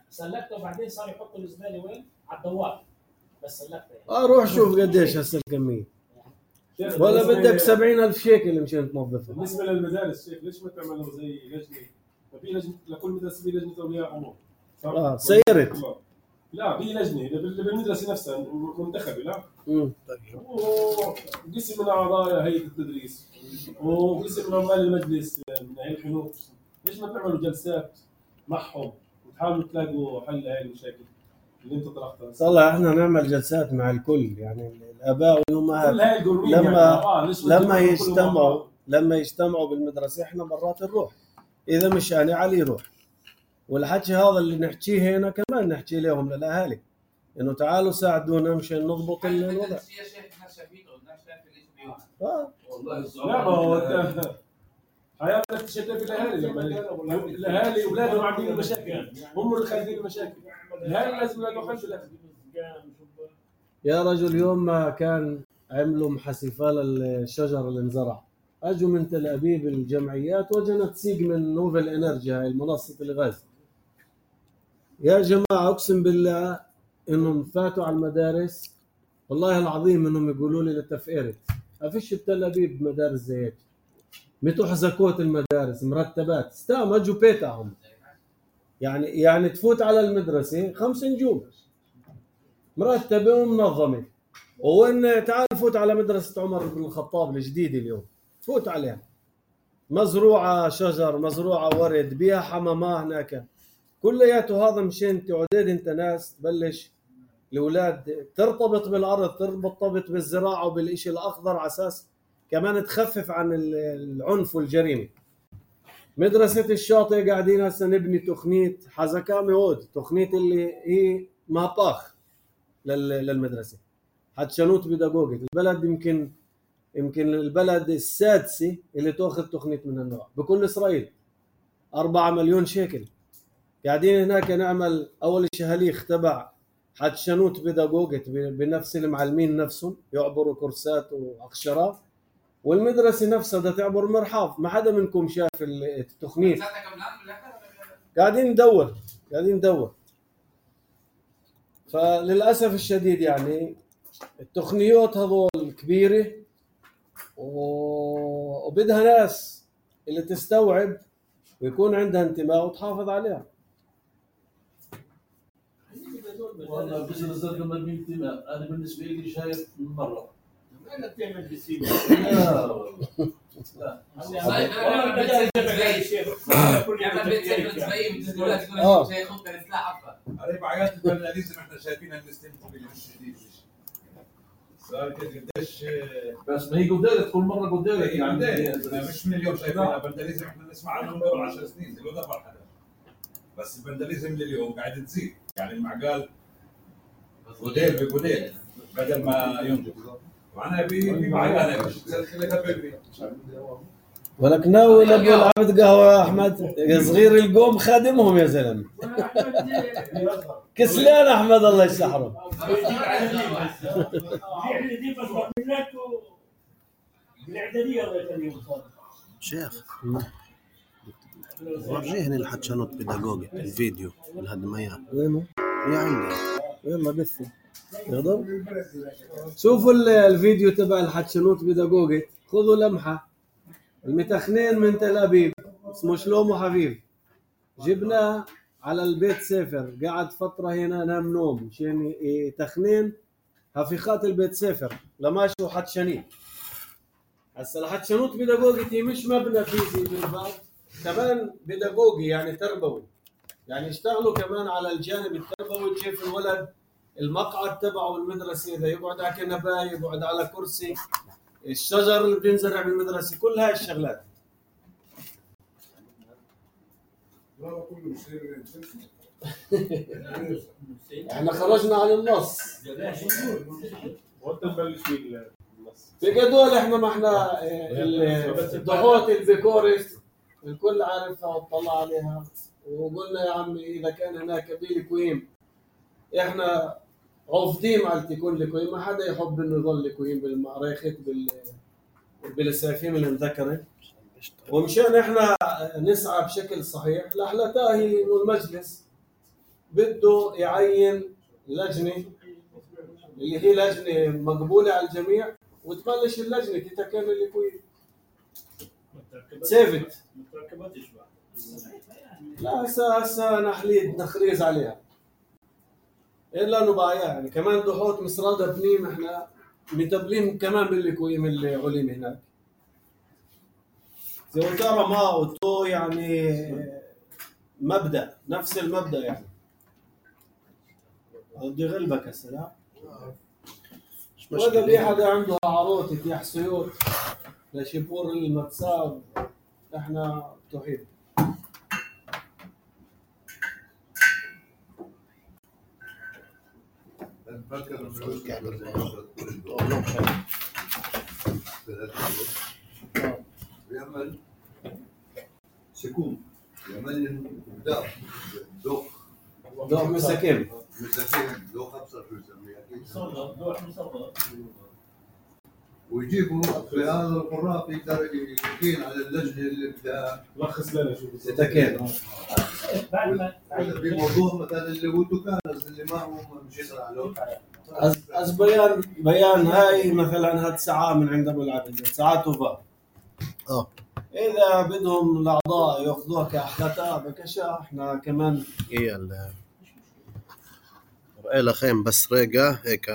سلكته وبعدين صار يحطوا الزباله وين؟ على الدوار. بس سلكته يعني. اه روح شوف قديش هسه الكمية. ولا بدك سبعين ألف شيكل مشان تنظفها. بالنسبة للمدارس شيخ ليش ما تعملوا زي لجنة؟ في لجنة لكل مدرسة في لجنة أولياء أمور. اه سيرت. لا في لجنة بالمدرسة نفسها منتخبة لا. امم وقسم من أعضاء هيئة التدريس وقسم من عمال المجلس من هيئة الحنوك. ليش ما تعملوا جلسات معهم وتحاولوا تلاقوا حل لهي المشاكل اللي انت طرحتها؟ صلح احنا نعمل جلسات مع الكل يعني الآباء والأمهات لما يعني آه لما يجتمعوا لما يجتمعوا بالمدرسة احنا مرات نروح إذا مش أنا علي يروح. والحكي هذا اللي نحكيه هنا كمان نحكي لهم للأهالي إنه تعالوا ساعدونا مشان نضبط الوضع. اه لا ما هو حياتك تشتت الاهالي لما الاهالي اولادهم عاملين المشاكل هم اللي خالفين المشاكل. الاهالي لازم يلاقوا حل لك. يا رجل يوم ما كان عملوا محسفة للشجر اللي انزرع اجوا من تل ابيب الجمعيات وجنا تسيق من نوفل انرجي هاي منصه الغاز. يا جماعه اقسم بالله انهم فاتوا على المدارس والله العظيم انهم يقولوا لي لتفقيرت ما فيش بتل ابيب مدارس زي هيك. متوا حزكوت المدارس مرتبات استام اجوا بيتهم يعني يعني تفوت على المدرسه خمس نجوم مرتبه ومنظمه. وين تعال فوت على مدرسه عمر بن الخطاب الجديده اليوم تفوت عليها مزروعه شجر مزروعه ورد بيها حمامه هناك كلياته. هذا مشان تعدد انت ناس تبلش الاولاد ترتبط بالارض ترتبط بالزراعه وبالشيء الاخضر على اساس كمان تخفف عن العنف والجريمه. مدرسه الشاطئ قاعدين هسه نبني تقنيه حزكامي هود تقنيه اللي هي ماباخ للمدرسه حتشنوت بيداغوجي. البلد يمكن يمكن البلد السادسه اللي تاخذ تقنيه من النوع بكل اسرائيل. أربعة مليون شيكل قاعدين هناك نعمل اول شيء هليخ تبع حتشنوت بيداغوجي بنفس المعلمين نفسهم يعبروا كورسات واقشرات. والمدرسه نفسها بدها تعبر مرحاض. ما حدا منكم شاف التقنيه. قاعدين ندور قاعدين ندور فللاسف الشديد يعني التقنيات هذول كبيره وبدها ناس اللي تستوعب ويكون عندها انتماء وتحافظ عليها. والله بزنس لما بينتماء انا بالنسبه لي شايف من مره انا بتعمل بالسيما لا لا والله بدي ازعج شيخ يعمل بيت سيف زي بالدولات يقول شيخ خط السلاح افضل. على بعيات الفناليزم احنا شايفينها بنستمتع باللي مش جديد صار قديش بس ما هي قدامك كل مره قدامك يعني مش من اليوم شايفينها. الفنداليزم احنا نسمع عنه من قبل عشر سنين زي ما حدا بس الفنداليزم لليوم قاعد تزيد يعني المعقال غدير بغدير بدل ما ينضج وانا بمعقال مش خليها بيبي ولك ناوي لابو العبد قهوه يا احمد صغير القوم خادمهم يا زلمه كسلان احمد الله يسحره. شيخ ورجيني الحتشنوت بيداغوجي الفيديو الهدميات وينه؟ يا عندي يلا بثي يقدر شوفوا الفيديو تبع الحتشنوت بيداغوجي خذوا لمحه. المتخنين من تل ابيب اسمه شلومو حبيب جبناه على البيت سفر قعد فتره هنا نام نوم مشان تخنين هفيخات البيت سفر لماشي وحتشنين. هسه الحتشنوت بيداغوجي مش مبنى فيزي بالبعض كمان بيداغوجي يعني تربوي يعني يشتغلوا كمان على الجانب التربوي كيف الولد المقعد تبعه بالمدرسه اذا يقعد على كنبايه يقعد على كرسي الشجر اللي بينزرع بالمدرسه كل هاي الشغلات. احنا خرجنا عن النص وانت تبلش بالنص في هدول احنا ما احنا الضغوط البيكوريس الكل عارفها وطلع عليها وقلنا يا عمي اذا كان هناك بيلي كويم احنا رافضين مالتي يكون لكوين، ما حدا يحب انه يضل لكوين بالمعركة بال بالسيفين المذكرة. ومشان احنا نسعى بشكل صحيح لحلتها هي انه المجلس بده يعين لجنة اللي هي لجنة مقبولة على الجميع، وتبلش اللجنة تتكامل لكوين سيفت. لا هسه هسه نحليد نخريز عليها الا انه بقى يعني كمان دوحوت مصرادة بنيم احنا متبلين كمان باللكويم اللي علم هناك. زي ترى ما وتو يعني مبدأ نفس المبدأ يعني. بدي غلبك هسه لا؟ وإذا في حدا عنده عروتك يا حسيوت لشبور المتساب احنا مفتوحين. بفكر بيعمل سكون، بيعمل داخ دوخ دوخ مساكين مساكين دوخ ابصر شو يسميه اكيد مصغر دوح مصغر، ويجيبوا في هذا القراء يقدر يكين على اللجنه اللي بدها لخص لنا شو ستكين. في موضوع مثلا اللي هو دكانز اللي ما هو مش يقرا له از بيان بيان هاي مثلا هاد ساعة من عند ابو العبد ساعات وفا اه اذا بدهم الاعضاء ياخذوها كاحلتها بكشا احنا كمان هي ال رأي خيم بس ريقة هيك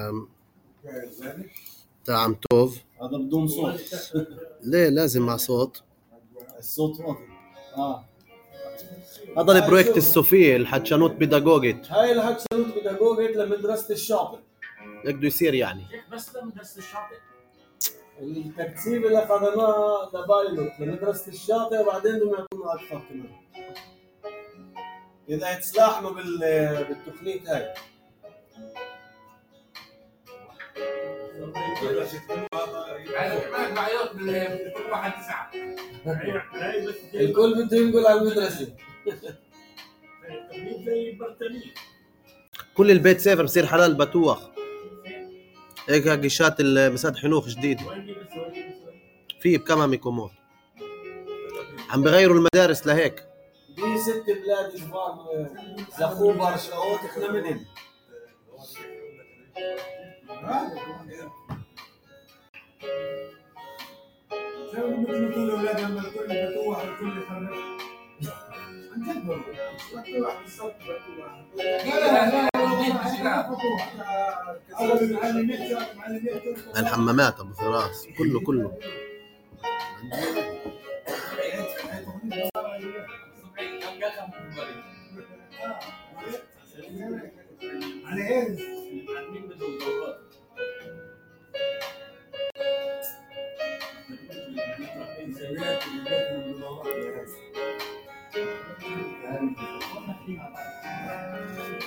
تاع عم توف. هذا بدون صوت. ليه لازم مع صوت؟ الصوت واضح. اه هذا البروجكت الصوفي الحتشانوت بيداغوجيت. هاي الحتشانوت بيداغوجيت لمدرسة الشاطئ. هيك بده يصير يعني. بس لمدرسة الشاطئ. التكثيف اللي اخذناه لبايلوت لمدرسة الشاطئ وبعدين بدهم يعطونا اكثر كمان. اذا يتسلاحنوا بال بالتقنية هاي. الكل بده ينقل على المدرسة. كل البيت سيفر بصير حلال بتوخ. هيك قشات المساد حنوخ جديد في بكمان ميكومون عم بغيروا المدارس لهيك. دي ست بلاد كبار زخو برشاوت احنا منهم. شو مثل كل اولاد لما الكل بتوح الكل خرج عن جد بتوح بالصوت بتوح. لا لا لا الحمامات ابو فراس كله كله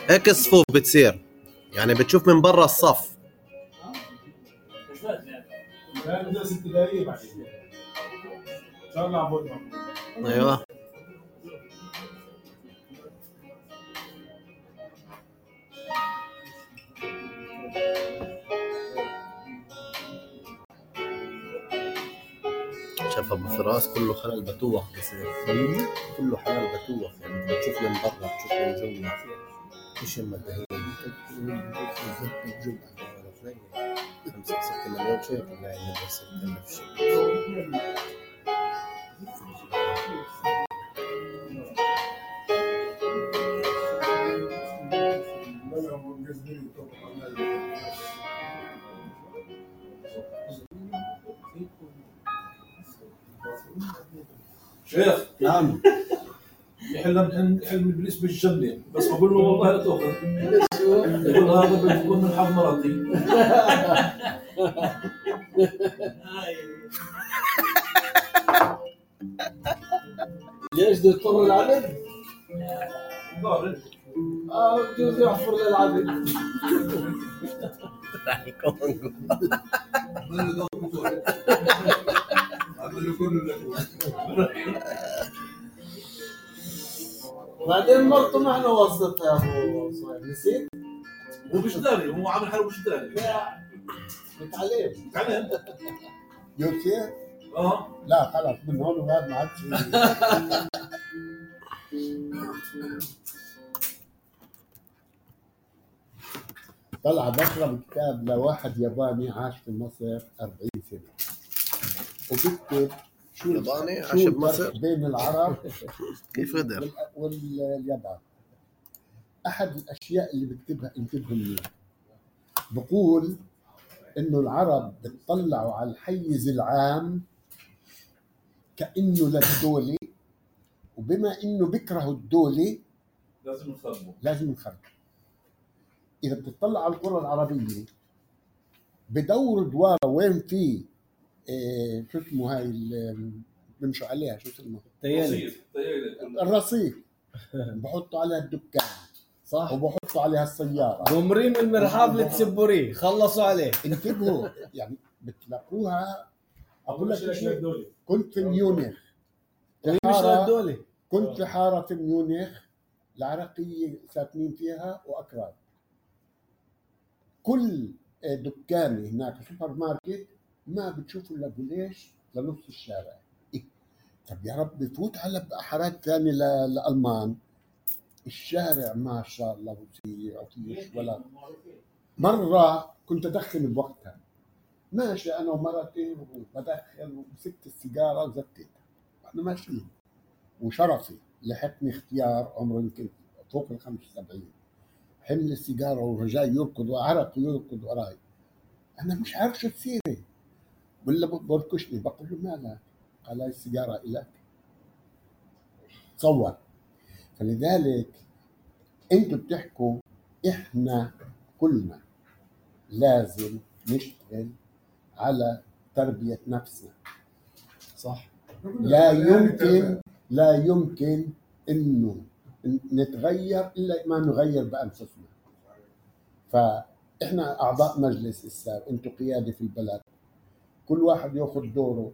هيك الصفوف بتصير يعني بتشوف من برا الصف. مدرسة ابتدائية بعدين ان شاء الله عبودنا. ايوه شاف ابو فراس كله خلال بتوخ بصير كله حلال بتوخ يعني بتشوف من برا بتشوف من جوا ايش المدهين خمسة ستة مليون شيء لا المدرسة تكلف شيء. شيخ نعم يحلم حلم ابليس بالجنه بس بقول له والله لا تاخذ يقول هذا بتكون من حظ مرضي. ليش بده يضطر العبد؟ ضارب اه بجوز يحفر للعبد. راح يكون عملوا كله لك. بعدين مرته ما احنا وظفتها يا ابو صهيب نسيت؟ هو مش داري، هو عامل حاله مش داري. متعلم متعلم يوسف؟ اه لا خلص من هون وهذا ما عادش. طلع بقرا كتاب لواحد ياباني عاش في مصر أربعين سنة وبكتب شو ياباني شو عاش بمصر؟ الفرق بين العرب كيف قدر؟ وال- واليابان. أحد الأشياء اللي بكتبها انتبهوا منها، بقول إنه العرب بتطلعوا على الحيز العام كأنه للدولة، وبما إنه بيكرهوا الدولة لازم نخربه. لازم نخرب. إذا بتطلع على القرى العربية بدور دوارة وين في إيه شو اسمه هاي اللي بمشوا عليها شو اسمه؟ تيالي الرصيف. بحطوا عليها الدكان صح، وبحطوا عليها السيارة. قمرين من المرحاض لتسبوريه خلصوا عليه. انتبهوا يعني بتلاقوها. أقول لك مش شيء، للدولة. كنت في ميونخ مش حارة- للدولة. كنت في حارة في ميونخ العراقية ساكنين فيها وأكراد. كل دكان هناك سوبر ماركت ما بتشوفوا الا بوليش لنص الشارع. إيه؟ طب يا رب بفوت على حارات ثانيه لالمان، الشارع ما شاء الله وسيع وفيش ولا. مره كنت ادخن بوقتها، ماشي انا ومرتي وبدخن ومسكت السيجاره وزتيتها واحنا ماشيين، وشرفي لحقني اختيار عمره يمكن فوق ال خمسة وسبعين، حمل السيجاره ورجاي يركض وعرق يركض وراي. انا مش عارف شو تصيري، ولا بركشني. بقول له مالك؟ قال هاي السيجاره الك. تصور. فلذلك انتوا بتحكوا احنا كلنا لازم نشتغل على تربيه نفسنا. صح. لا يمكن لا يمكن انه نتغير الا ما نغير بانفسنا. فاحنا اعضاء مجلس السار، انتم قياده في البلد، كل واحد ياخذ دوره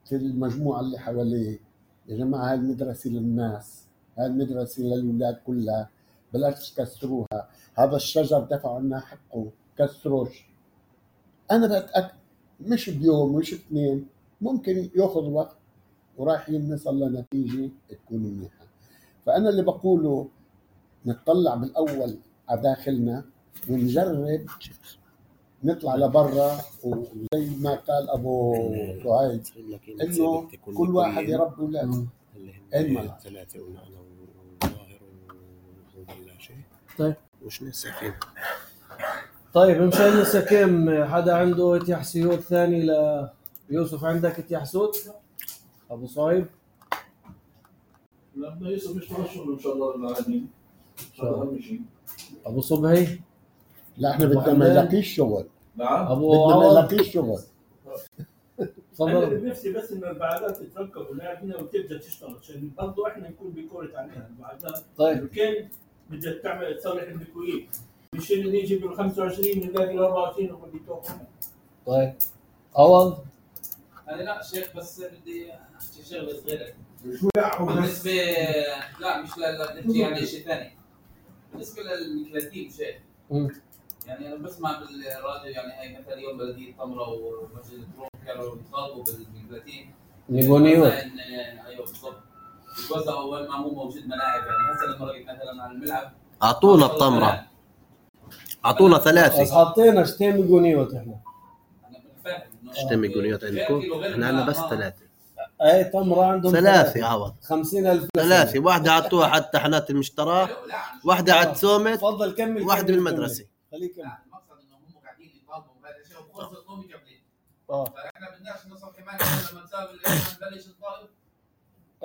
في المجموعه اللي حواليه. يا جماعه هاي المدرسه للناس، هاي المدرسه للاولاد كلها، بلاش تكسروها. هذا الشجر دفعوا لنا حقه، كسروش. انا بتاكد مش بيوم مش اثنين، ممكن ياخذ وقت ورايحين نصل لنتيجه تكون منيحه. فانا اللي بقوله نتطلع بالاول على داخلنا ونجرب نطلع لبرا، وزي ما قال ابو سعيد انه كل واحد يربي اولاده. ايمن ثلاثه وانا وظاهر ولا شيء. طيب وش نسكين؟ طيب مشان نسكم، حدا عنده اتيحسيوت ثاني ليوسف؟ عندك اتيحسوت ابو صايب؟ لما يوسف يشتغل الشغل ان شاء الله العالمين ان شاء الله اهم شيء. ابو صبحي؟ لا احنا بدنا ما يلاقيش شغل. نعم ابو بدنا ما عوض؟ يلاقيش شغل. انا تفضل. بنفسي بس ان البعادات تتركب ونلاقينا وتبدا تشتغل عشان برضه احنا نكون بكره عليها البعادات. طيب كان بدك تعمل تصلح البكويت، مش اللي نيجي بال خمسة وعشرين نلاقي ال أربعة وعشرين وبدي توقف. طيب عوض؟ انا لا شيخ، بس بدي احكي شغله صغيره شو لا بس بالنسبه. لا مش لا بدي يعني شيء ثاني بالنسبه للكلاتيب شيخ. مم. يعني انا بسمع بالراديو يعني هاي مثلا يوم بلديه طمره ومسجد الدروم كانوا يطالبوا بالكلاتيب ميغونيوت. ايوه بالضبط، يتوزعوا وين ما مو موجود ملاعب. يعني هسه لما رحت مثلا على الملعب اعطونا الطمره، اعطونا بس ثلاثه. حطينا شتين ميغونيوت احنا. انا فاهم انه شتم ميغونيوت عندكم؟ احنا عندنا بس ثلاثه. اي تمره عندهم ثلاثه يا عوض. خمسين ألف ثلاثه، واحده عطوها حتى تحنات المشترى، واحده على تسومت، تفضل كمل. واحده بالمدرسه. خليك كمل. لا المقصد انه هم قاعدين يطالبوا بهذا الشيء وخلص القوم قبلين. اه فاحنا بدناش نصل كمان لما نساوي نبلش نطالب.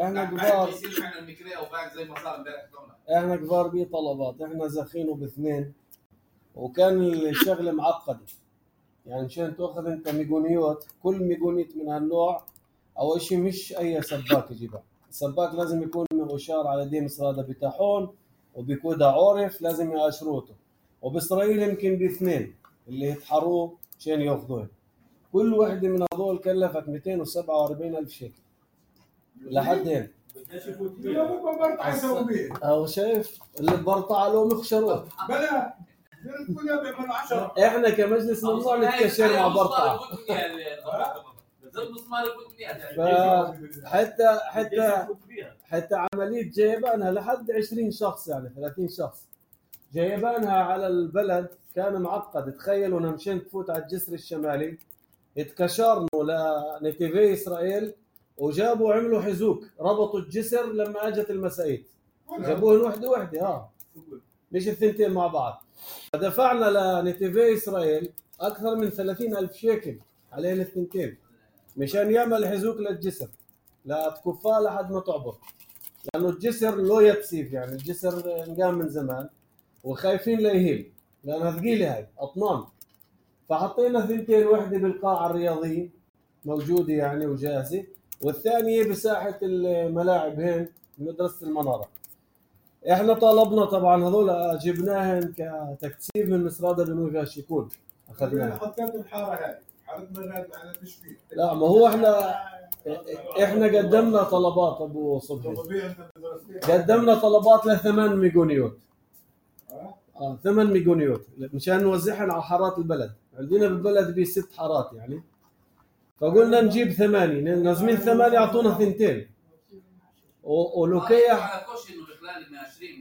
احنا بعد كبار، بيصير معنا المكريه وبعد زي ما صار امبارح كمان. احنا كبار بطلبات، احنا زخينه باثنين وكان الشغله معقده. يعني مشان تاخذ انت ميغونيوت، كل ميغونيت من هالنوع اول شيء مش اي سباك يجيبها. السباك لازم يكون مؤشار على ديم سراده بتاحون وبيكودا عورف، لازم يقشروته. وباسرائيل يمكن باثنين اللي يتحروه مشان ياخذوه. كل وحده من هذول كلفت مئتين وسبعة وأربعين ألف شيكل لحد هنا. بدناش يفوت لا فيها. مو برضه حيسوي بيه او شايف اللي برطع له مخشروه. بلا احنا كمجلس ممنوع نتكشر مع برطع. فحتى حتى حتى عمليه جيبانها لحد عشرين شخص يعني ثلاثين شخص جيبانها على البلد كان معقد. تخيلوا انا مشان تفوت على الجسر الشمالي اتكشرنوا لنتيفي اسرائيل وجابوا عملوا حزوك ربطوا الجسر لما اجت المسائيت جابوهن وحده وحده اه مش الثنتين مع بعض. فدفعنا لنتيفي اسرائيل اكثر من ثلاثين ألف شيكل عليهم الثنتين مشان يعمل حزوك للجسر لا تكفاه لحد ما تعبر، لانه الجسر لو يتسيف يعني الجسر انقام من زمان وخايفين لا يهيل لانها ثقيله هاي اطنان. فحطينا ثنتين وحده بالقاعه الرياضيه موجوده يعني وجاهزه، والثانيه بساحه الملاعب هين مدرسه المناره. احنا طالبنا طبعا هذول جبناهن كتكثيف من مسرادة بنوي فيها شيكون اخذناها. حطيت الحاره هاي حاره مراد على تشبيه. لا ما هو احنا احنا قدمنا طلبات ابو صبحي قدمنا طلبات لثمان ميجونيوت اه ثمان ميجونيوت مشان نوزعهم على حارات البلد. عندنا بالبلد بي ست حارات يعني، فقلنا نجيب ثمانية نازمين ثمانية يعطونا ثنتين ولوكيا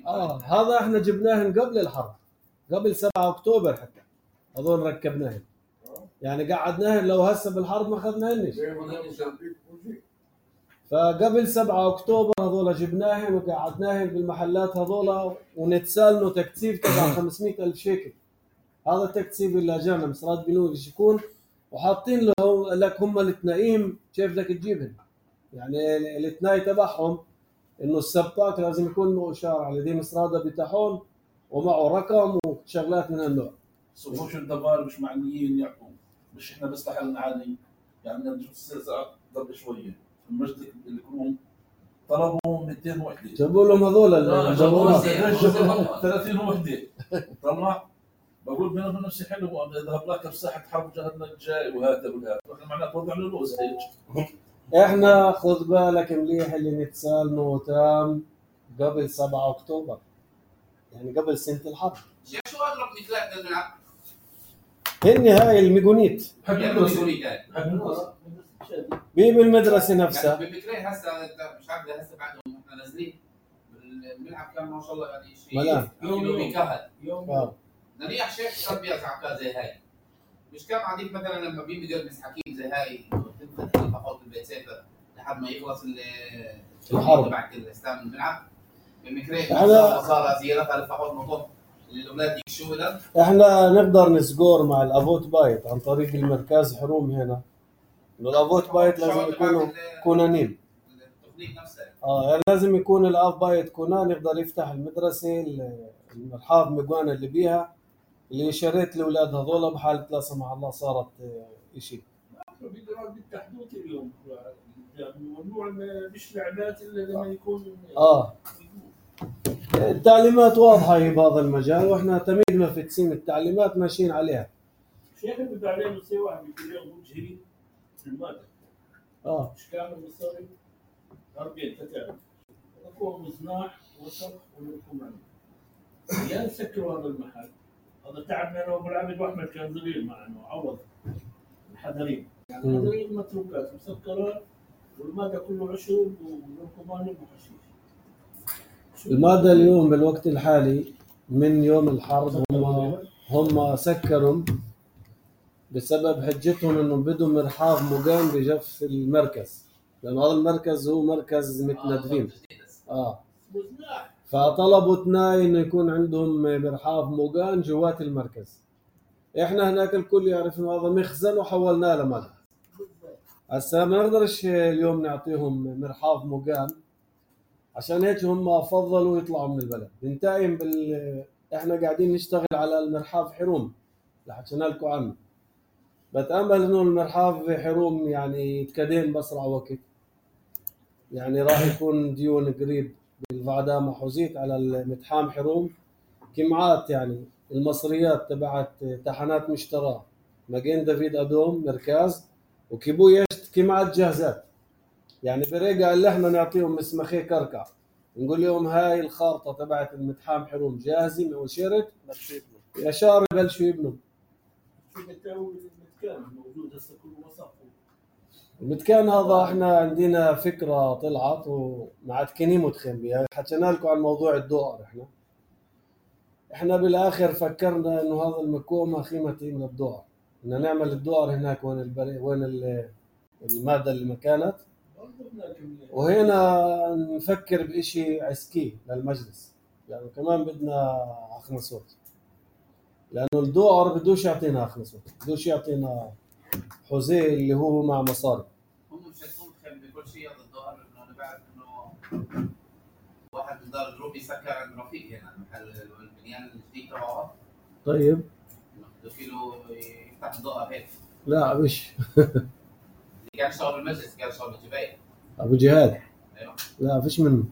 اه هذا احنا جبناهن قبل الحرب قبل سبعة أكتوبر حتى هذول ركبناهن يعني قعدناهن لو هسه بالحرب ما اخذناهنش. فقبل سبعة أكتوبر هذول جبناهن وقعدناهن بالمحلات هذول ونتسالنوا تكثيف تبع خمسمئة ألف شيكل. هذا التكثيف اللي اجانا مسرات بنوي شيكون وحاطين له لك هم الاثنين كيف بدك تجيبهم يعني الاثنين تبعهم انه السباك لازم يكون له اشاره على دي مسراده بتاعهم ومعه رقم وشغلات من هالنوع. صفوش الدبار مش معنيين يعطوا مش احنا بس لحالنا عادي يعني نرجع الساعه قبل شويه المجد الكروم طلبوا مئتين وحده جابوا لهم هذول الجوالات ثلاثين وحده طلع بقول بينهم نفسي حلو اذهب لك بساحه حرب جهنم جاي وهذا والهذا احنا معناته وضع له لوز هيك. احنا خذ بالك مليح اللي نتسالنوا تام قبل سبعة أكتوبر يعني قبل سنه الحرب. شو اضرب مثال للملعب؟ هن هاي الميجونيت حق الميجونيت بي بالمدرسه نفسها. بفكري هسه مش عارف هسه بعدهم احنا نازلين الملعب كان ما شاء الله يعني شيء ملان يوم بيكهل يوم نريح شيخ كان بيزعل كذا زي هاي مش كان عاديك مثلا لما بيجي مدرس حكيم زي هاي تدخل تحط البيت سيفر لحد ما يخلص الحرب تبع الاسلام الملعب بمكرين صار صار زيارات على فحوط مطوط للاولاد يشوا له. احنا نقدر نسكور مع الافوت بايت عن طريق المركز حروم هنا انه الافوت بايت لازم يكونوا كونانين التقنيه نفسها اه يعني لازم يكون الاب بايت كونان يقدر يفتح المدرسه المرحاض مجوانا اللي بيها اللي شريت الاولاد هذول بحاله لا سمح الله صارت شيء. بالتحديد اليوم ممنوع مش لعبات الا لما يكون اه التعليمات واضحه هي بهذا المجال واحنا تميدنا في تسيم التعليمات ماشيين عليها. شيخ انت عليه بصير واحد بيقول لهم مجهري في الماده اه مش كامل مصاري أربعين تتعرف يكون مصناع وسط ولكم يا سكروا هذا المحل. هذا تعبنا انا وابو العبد واحمد كان صغير معنا عوض الحذرين يعني الحذرين متروكات مسكرات والماده كله عشب ولكمان وحشيش. الماده اليوم بالوقت الحالي من يوم الحرب هم هم سكروا بسبب حجتهم انهم بدهم مرحاض مقام بجف المركز لان هذا المركز هو مركز متندفين اه فطلبوا اثنين انه يكون عندهم مرحاض مقام جوات المركز. احنا هناك الكل يعرف انه هذا مخزن وحولناه لماذا هسه ما نقدرش اليوم نعطيهم مرحاض مقام عشان هيك هم فضلوا يطلعوا من البلد. بنتايم بال... احنا قاعدين نشتغل على المرحاض حروم اللي حكينا لكم عنه. بتامل انه المرحاض حروم يعني يتكدين باسرع وقت يعني راح يكون ديون قريب بالفعدامة حوزيت على المتحام حروم كمعات يعني المصريات تبعت تحنات مشتراه ماجين دافيد ادوم مركز وكيبويشت كمعات جاهزات يعني بريقة اللي احنا نعطيهم مسمخي كركع نقول لهم هاي الخارطة تبعت المتحام حروم جاهزة وشرت يا شهر بلشوا يبنوا. المتكان موجود هسه كله وسط. المتكان هذا احنا عندنا فكره طلعت ومعتكنين متخن بها، حكينا لكم عن موضوع الدوار. احنا احنا بالاخر فكرنا انه هذا المكوم اخي متين للدوار، بدنا نعمل الدوار هناك وين البري وين الماده اللي ما كانت، وهنا نفكر بشيء عسكي للمجلس، يعني كمان بدنا اخنصوت، لانه الدوار بدوش يعطينا اخنصوت، بدوش يعطينا حوزيه اللي هو مع مصاري. هم مش هيكونوا متخيل بكل شيء هذا الظاهر، انه انا بعرف انه واحد من دار الجروب يسكر عند رفيق هنا محل البنيان الجديد تبعه. طيب بده له يفتح ضوء هيك. لا مش اللي كان يشتغل بالمجلس كان يشتغل بالجباية. ابو جهاد. ايوه لا فيش منه.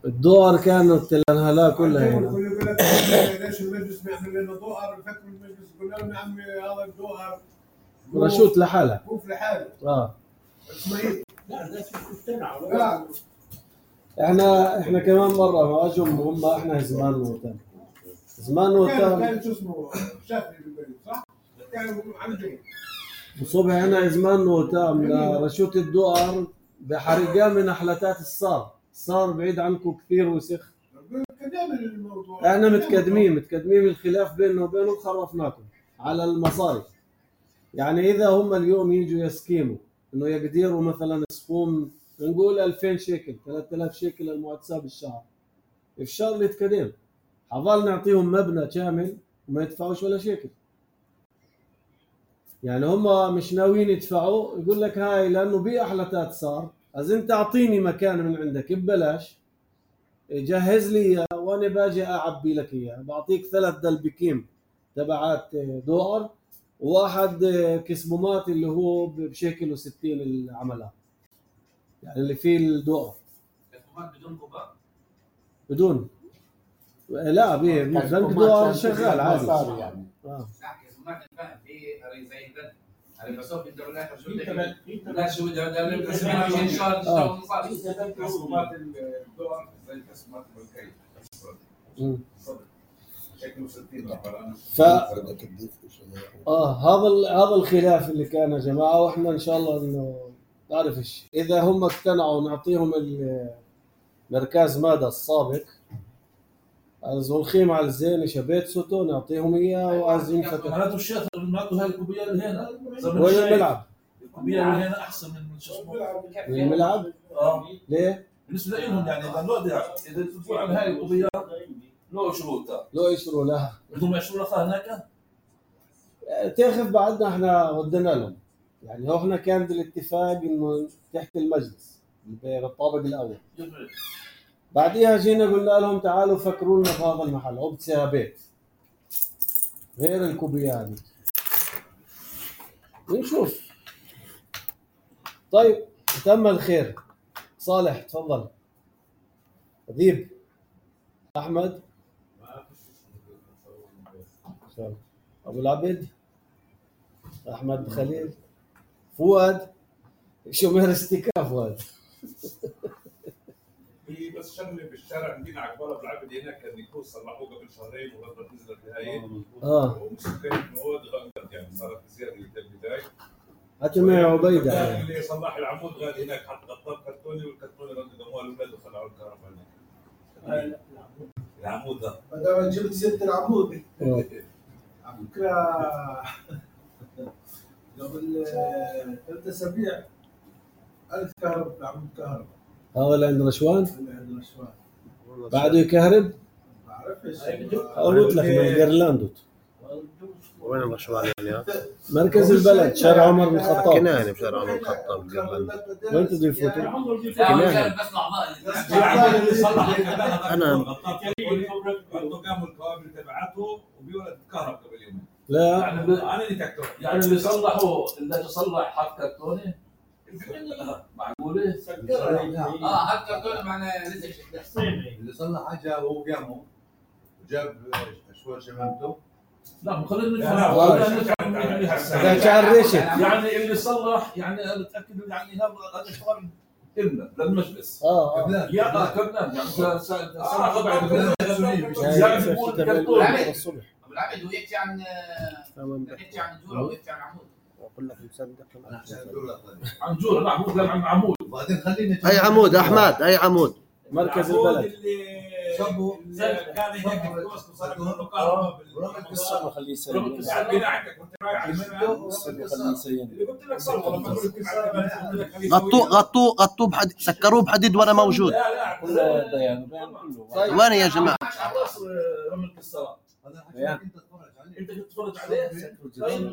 الدوار كانت الانهلاء كلها هنا. يقول لك ليش المجلس بيعمل لنا دوار؟ بفكر المجلس يقول لهم يا عمي هذا الدوار رشوت لحالها. كوف لحاله. اه اسماعيل. لا الناس مقتنعه. لا احنا احنا كمان مره ما اجوا هم احنا زمان وتم. زمان وتم. كان شو اسمه شافعي بالبيت صح؟ كانوا عندهم. وصبح هنا زمان وتم لرشوت الدوار بحرقان من احلتات الصار. الصار بعيد عنكم كثير وسخ. احنا متقدمين متقدمين الخلاف بيننا وبينهم خرفناكم على المصاري. يعني اذا هم اليوم يجوا يسكيموا انه يقدروا مثلا يصفون نقول ألفين شيكل ثلاثة آلاف شيكل المعتسى بالشهر، الشهر اللي يتقدم حظل نعطيهم مبنى كامل وما يدفعوش ولا شيكل. يعني هم مش ناويين يدفعوا، يقول لك هاي لانه بأحلتات صار، از انت اعطيني مكان من عندك ببلاش، جهز لي اياه وانا باجي اعبي لك اياه، بعطيك ثلاث دلبكيم تبعات دولار وواحد كسبومات اللي هو بشكل وستين العملات، يعني اللي فيه الدولار. كسبومات بدون كوبا؟ بدون لا بيه بنك دولار شغال عادي يعني. اه كسبومات الفهم في زي ده على مسافه الدولار شو بدك لا شو بدك ده كسبومات ان شاء الله مصاري كسبومات الدولار زي كسبومات البنكيه. امم شكله ستين ف اه هذا هذا الخلاف اللي كان يا جماعه، واحنا ان شاء الله انه تعرف ايش اذا هم اقتنعوا نعطيهم المركز ماده السابق الخيمة على الزين شبيت سوتو نعطيهم اياه وعايزين فتح. معناته الشيخ معناته هاي الكوبيه اللي هنا وين الملعب؟ الكوبيه اللي هنا احسن من شو اسمه من الملعب؟ اه ليه؟ بالنسبه لهم يعني لانه اذا تدفع على هاي الكوبيه له شروطها له يشروا لها بدهم يشروا لها هناك تاخذ بعدنا احنا ودنا لهم، يعني هو احنا كان الاتفاق انه تحت المجلس بالطابق الاول، بعديها جينا قلنا لهم تعالوا فكروا لنا في هذا المحل او بتصير بيت غير الكوبيه هذه ونشوف. طيب تم الخير. صالح تفضل. ذيب احمد ابو العبد احمد خليل فؤاد شو مهرستك فؤاد في بس شغله بالشارع عندنا على قبال العبد هناك كان يكون صلحوه قبل شهرين وغلطت نزلت هاي اه ومسكين المواد غلطت يعني صارت زياده البدايه. حتى مع عبيده اللي صلح العمود غاد هناك حط غطاء كرتوني والكرتوني ردوا دموع الاولاد وخلعوا الكهرباء هناك. العمود ده ما دام جبت سيره العمود على فكره قبل ثلاث اسابيع ألف كهرباء عمود كهرباء. هذا اللي عند رشوان؟ اللي عند رشوان بعده يكهرب؟ ما بعرفش قلت لك من جيرلاندوت. وين الرشوان يعني؟ مركز البلد شارع عمر بن الخطاب. كناية بشارع عمر بن الخطاب جيرلاندوت. وين تدري فوتو؟ كناية. انا قاموا الكوابل تبعته وبيولد الكهرباء قبل يومين. لا انا اللي تكتب يعني اللي صلحوا اللي تصلح حط كرتوني معقوله؟ اه حط كرتوني معنا رزق اللي صلح حاجه هو قامه وجاب شويه شمامته. لا خلينا نفهم. يعني اللي صلح يعني انا متاكد يعني هذا هذا اشتغل إلنا للمجلس. اه اه يا اه كبنان يعني سنة سنة ربع يعني بيقول تبع كرتون. الصبح ابو العبد هو يحكي عن يحكي عن جوره ويحكي عن عمود. اقول لك مصدق عن جورة. نعم هو كلام عن عمود. وبعدين خليني اي عمود احمد اي عمود مركز البلد. صبوا كان هيك الكوست وصار له كهرباء الصبح خليه يسلم بالبناء عندك كنت رايح على المنى الصبح خليه يسلم اللي قلت لك صبوا لما قلت لك غطوه غطوه غطوه بحديد سكروه بحديد وانا موجود. لا لا كله بيان بيان كله. طيب. وين يا جماعه؟ على راس رمل الصلاة. انت تتفرج عليه انت تتفرج عليه.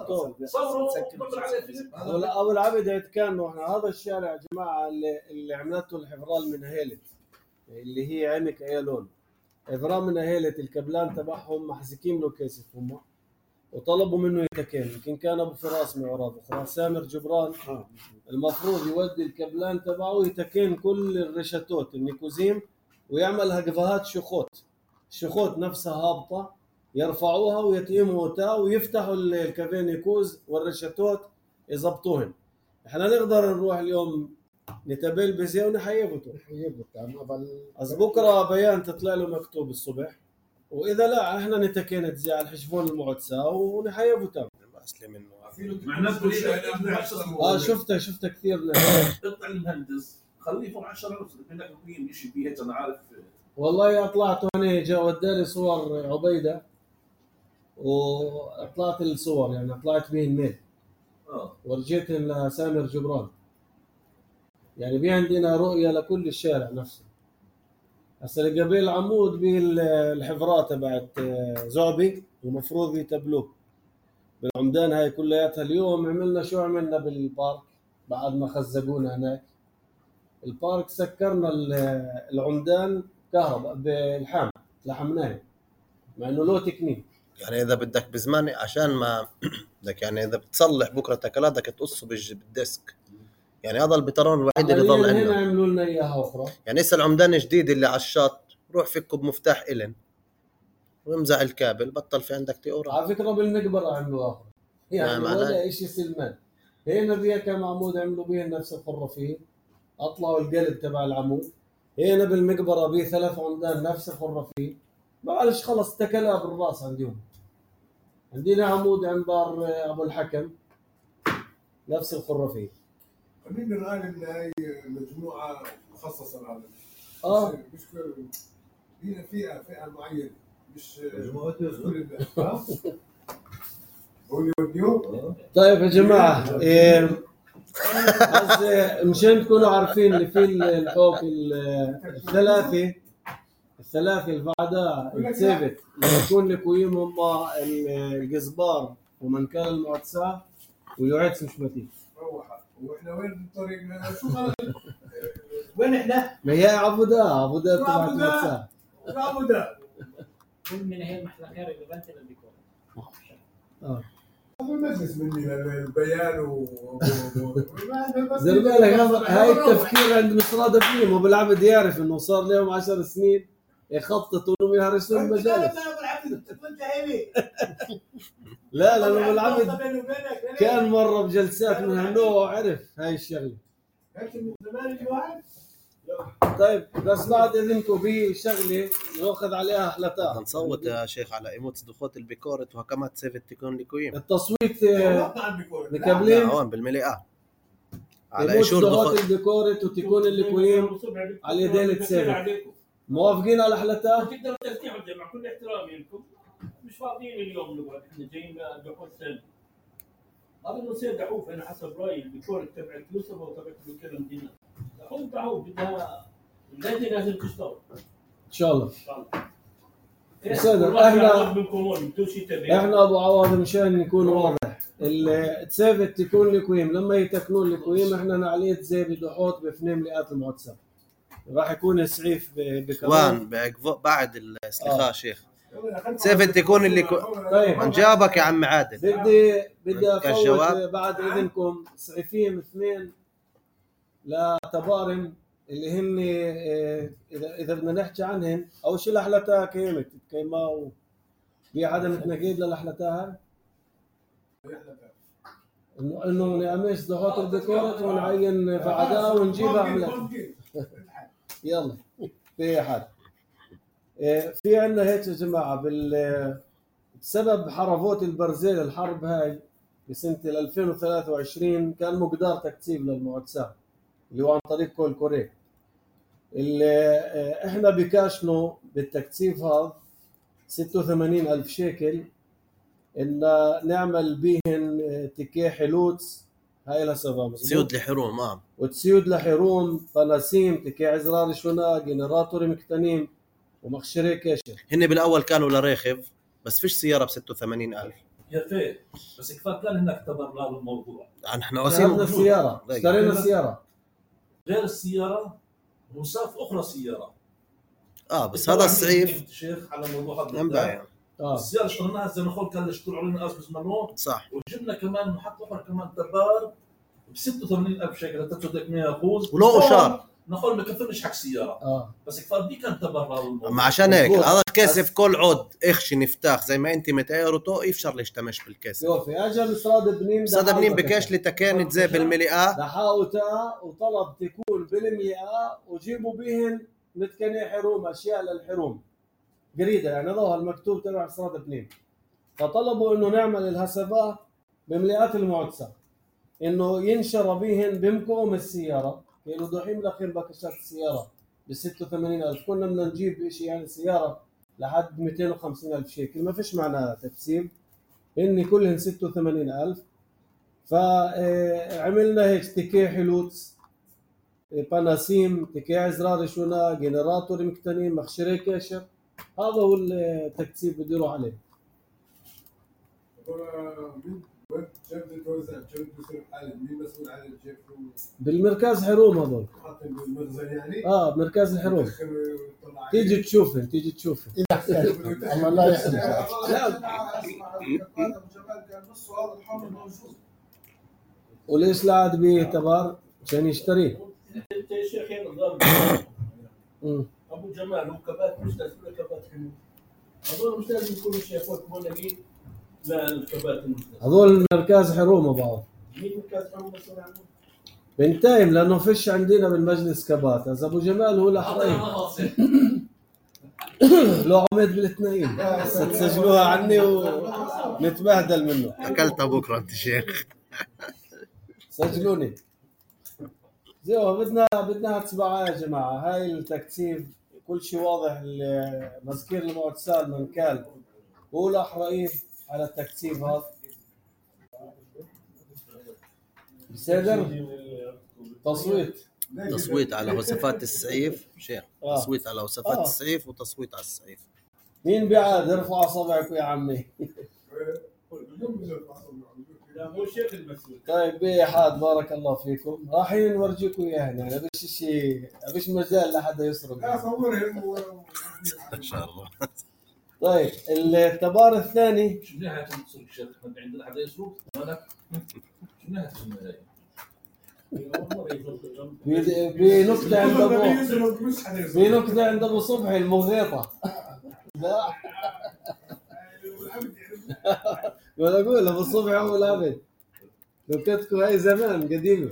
طيب. صوروا وقبل عليه فيلم. أبو- ابو العبد كان احنا هذا الشارع يا جماعه اللي, اللي عملته الحفران من هيلت اللي هي عمك ايالون. حفران من هيلت الكبلان تبعهم محزكين له كيسف هم وطلبوا منه يتكين. يمكن كان ابو فراس معراض اخرى سامر جبران المفروض يودي الكبلان تبعه يتكين كل الرشتوت النيكوزيم ويعملها قفهات شخوت. الشخوت نفسها هابطه يرفعوها ويتيموا تا ويفتحوا الكافينيكوز والرشتوت يضبطوهن. احنا نقدر نروح اليوم نتبل بزي ونحيبته از بكره بيان تطلع له مكتوب الصبح واذا لا احنا نتكين زي على الحشفون المعتسى ونحيبه تام. مع الناس تريد اه شفتها شفتها كثير. اقطع المهندس خليه فوق عشرة نفس بدك تقيم شيء فيه هيك انا عارف. والله طلعت هون جا وداني صور عبيده وطلعت الصور يعني طلعت به الميل اه ورجيتهم لسامر جبران. يعني في عندنا رؤيه لكل الشارع نفسه. هسه اللي قبل العمود بالحفرات تبعت زعبي ومفروض يتبلوه بالعمدان هاي كلياتها. اليوم عملنا شو عملنا بالبارك بعد ما خزقونا هناك البارك سكرنا العمدان كهرباء بالحام لحمناه مع انه له تكنيك. يعني اذا بدك بزمان عشان ما بدك يعني اذا بتصلح بكره تكلات بدك تقصه بالج- بالديسك. يعني هذا البترون الوحيد اللي ضل هنا عندنا. عملوا لنا اياها اخرى. يعني هسه العمدان الجديد اللي على الشط روح فكه بمفتاح إلن وامزع الكابل بطل في عندك تيورا. على فكره بالمقبره عملوا اخرى يعني نعم، ولا شيء سلمان. هنا فيها كم عمود عملوا بيه نفس الخرافيه اطلعوا القلب تبع العمود. هنا بالمقبره بيه ثلاث عمدان نفس الخرافيه. معلش خلص تكلها بالراس عندهم. عندنا عمود عند دار ابو الحكم نفس الخرافيه. خلينا نقول ان هي مجموعه مخصصه لهذا اه مش كل هي فئه فئه معينه مش مجموعة مش كل الناس ها؟ هو يوديهم طيب يا جماعه إيه بس مشان تكونوا عارفين اللي في الحوك الثلاثه الثلاثه اللي بعدها الثابت يكون لكويم هم الجزبار ومنكال المعتسى ويعيد سمشمتي. روح واحنا وين الطريق شو غلط وين احنا؟ ما هي عبودة عبودة تبعت عبودة. المعتسى. ابو ده كل من هي المحلقات اللي بنت الديكور. اه هذا المجلس مني البيان و زي بالك هذا هاي التفكير عند مصراد فيهم وبالعبد يعرف انه صار لهم عشر سنين يخططوا انهم يهرسون المجالس. لا لا لا بالعبد كان مره بجلسات من هالنوع وعرف هاي الشغله. طيب بس بعد اذنكم في شغله ناخذ عليها احلتها. نصوت يا شيخ على ايموت دخوت البيكورت وهكما تسيف تكون لكويم. التصويت لا مكملين هون بالمليئة على ايموت ايشور دخوت دخوت. الديكورت وتكون اللي على يدين التسابق. موافقين على احلتها؟ تقدروا ترتيحوا مع كل احترامي لكم مش فاضيين اليوم نقعد احنا جايين دحوم سنه. هذا المصير دحوم انا حسب رايي الدكتور تبع يوسف وتبع الكرم دينا. دحوم دحوم بدها اللجنه لازم تشتغل ان شاء الله. ان شاء الله. أستاذ، احنا احنا ابو عوض مشان نكون واضح التسابت تكون لكويم لما يتكنون لكويم احنا نعليه زي بدحوت بفنين مئات المعتسى راح يكون السعيف وان بكمان بعد الاستخاء آه. شيخ سيف تكون اللي كو... طيب من جابك يا عم عادل. بدي بدي كالجواب. افوت بعد اذنكم سعيفين اثنين لتبارم اللي هن اه، اذا اذا بدنا نحكي عنهن اول شيء الاحلتها كيمت كيما و... في حدا متنقيد للاحلتها انه انه نقمش ضغط الديكورات ونعين بعدها ونجيبها عملت. يلا في حد في عندنا هيك يا جماعه بال بسبب حرفوت البرزيل الحرب هاي بسنه ألفين وثلاثة وعشرين كان مقدار تكتيب للمعتساب اللي هو عن طريق كول كوري. اللي احنا بكاشنوا بالتكتيف هذا ستة وثمانين ألف شيكل ان نعمل بيهن تكيه حلوتس هاي الهسبة تسيود لحروم اه وتسيود لحروم طناسيم تكيه عزرار شونا جنراتوري مكتنيم ومخشري كاشر. هن بالاول كانوا لريخب بس فيش سياره ب ستة وثمانين ألف يا فيه بس كفايه كان هناك تبرع للموضوع. احنا وسيله السياره اشترينا السياره غير السياره وصاف اخرى سياره اه بس هذا الصعيف شيخ على موضوع هذا ينبع اه السياره اشتريناها زي ما قلت كان يشتروا علينا اسبس منو صح وجبنا كمان محط اخر كمان تبار ب ستة وثمانين ألف شيكل انت تصدق مية فوز ولو اشار نقول ما كفرش حق سياره اه بس كفايه دي كان تبرع ما عشان هيك هذا الكاسف كل عود اخشي نفتاخ زي ما انت متايرته يفشر ليشتمش بالكاسف. شوفي اجى مصاد بنين مصاد بنين بكاش لي تكانت زي بالملئه دحاوتها وطلب تكون بالملئه وجيبوا بهن متكني حروم اشياء للحروم قريده يعني ظهر المكتوب تبع مصاد بنين. فطلبوا انه نعمل الهسبات بملئات المعتسه انه ينشر بهن بمكوم السياره كانوا دوحين ملقين باكشات السياره ب ستة وثمانين ألف كنا بدنا نجيب شيء يعني سياره لحد مئتين وخمسين ألف شيكل ما فيش معناها تكسيب اني كلهن ستة وثمانين ألف. فعملنا هيك تكيه حلوتس باناسيم تكيه عزرار شونا جنراتور مكتنين مخشري كاشر هذا هو التكسيب بديروا عليه. بالمركز حروم هذول اه مركز الحروم تيجي تشوفن تيجي تشوفن الله لا يحرمك. وليش لا عاد بيه تبار عشان يشتريه. انت يا شيخ ابو جمال هو كبات مش لازم كبات حلو هذول مش لازم يكونوا شيخوت مولدين لا الكبات المستثمر هذول مركز حروم بعض مين مركز حروم مسؤول عنه؟ بنتايم لانه فيش عندنا بالمجلس كبات هذا ابو جمال هو الاحرين لو عمد بالاثنين تسجلوها عني ونتبهدل منه. اكلتها بكره انت شيخ سجلوني زي بدنا بدنا تسمعها يا جماعه. هاي التكتيف كل شيء واضح. مذكير المعتسال من كان هو الاحرين على التكتيف هذا بصدر تصويت تصويت على وصفات السعيف شيخ آه. تصويت على وصفات آه. السعيف وتصويت على السعيف. مين بيعاد ارفع اصابعك يا عمي. لا مو شيخ المسؤول. طيب بيه حاد بارك الله فيكم رايحين نورجيكم اياها يعني ابيش شيء ابيش مجال لحدا يسرق لا صورهم ان شاء الله. طيب التبار الثاني شو نهاية تصير شيخ ما عندنا حدا يسرق مالك شو نهاية النهاية بنكتة عند ابو بنكتة عند ابو صبحي المغيطة. لا ولا اقول ابو صبحي هو الابد نكتكم هاي زمان قديمة.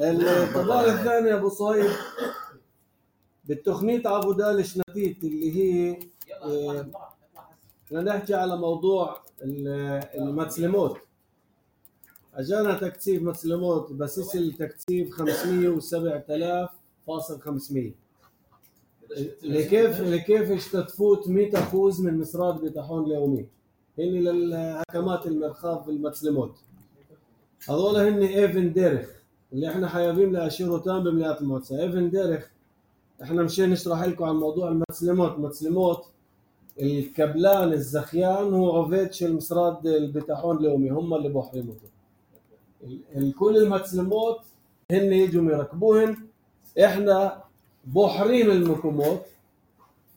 الطبار الثاني ابو صهيب بالتخنيط ابو دال شنتيت اللي هي احنا نحكي على موضوع المتسلموت. اجانا تكتيف متسلموت بس التكتيف خمسمية وسبعة آلاف فاصل خمسمية لكيف لكيف اشتتفوت مئة فوز من مسراد بطاحون اليومي هن للحكمات المرخاف بالمتسلموت. هذول هن ايفن ديرخ اللي احنا حيابين لاشيرو تام بمليات الموتسا. ايفن ديرخ احنا مشان نشرح لكم عن موضوع المتسلموت. متسلموت الكبلان الزخيان هو عفيتش المسراد البطاحون اليومي هم اللي بحرموته. الكل المتسلموت هن يجوا يركبوهن احنا بحريم المكوموت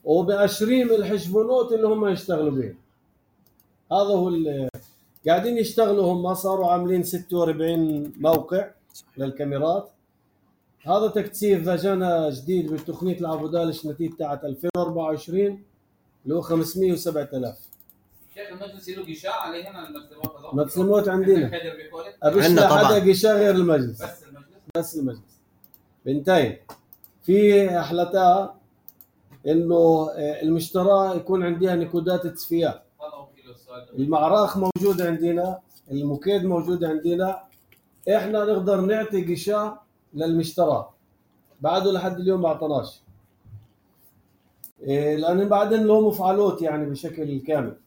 وبأشريم الحشبونوت اللي هم يشتغلوا بيه. هذا هو اللي قاعدين يشتغلوا. هم صاروا عاملين ستة وأربعين موقع للكاميرات. هذا تكتيف جانا جديد بالتقنية العبودال الشنتية تاعت ألفين وأربعة وعشرين اللي هو خمسمية وسبعة آلاف. شيخ المجلس له غشاء عليه هنا المسلمات هذول؟ مسلمات عندنا. أبيش عندنا لا طبعاً. حدا غشاء غير المجلس. بس المجلس. بس المجلس. بنتين. في أحلتها إنه المشترى يكون عندها نكودات تصفيات. المعراخ موجود عندنا، الموكيد موجود عندنا، احنا نقدر نعطي غشاء للمشترى. بعده لحد اليوم ما اعطناش. إيه لأن بعدين له مفعلات يعني بشكل كامل.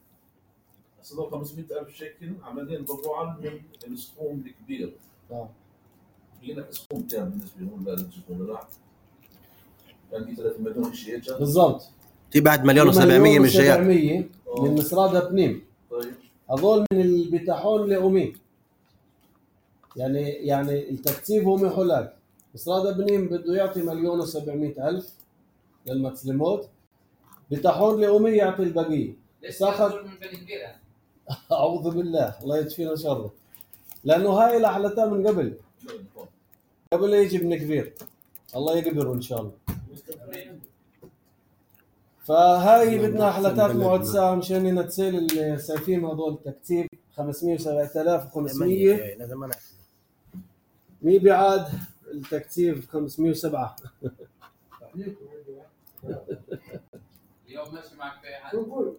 اصلا خمسمية ألف شيكل عمليا تبرعا من السكوم الكبير. اه لك سكوم كام بالنسبه لهم للسكوم لا؟ كان في ثلاثة مليون شيء جا بالضبط. في بعد مليون وسبعمية مش جايات. سبعمية من مصرادة بنيم. طيب هذول من البتاحون لأمي. يعني يعني التكتيب هو محلال. مصرادة بنيم بده يعطي مليون وسبعمية ألف للمسلمات. بتاحون لأمي يعطي البقية. ساخذ من بني كبير أعوذ بالله الله يدفينا شره. لأنه هاي الأحلتها من قبل. قبل يجي ابن كبير. الله يقبره إن شاء الله. فهاي بدنا أحلتات معدسة مشان نتسيل السيفين هذول تكتيب خمسمية وسبعة آلاف وخمسمية. مي بعاد التكتيب خمسمية وسبعة. اليوم ماشي معك في حال.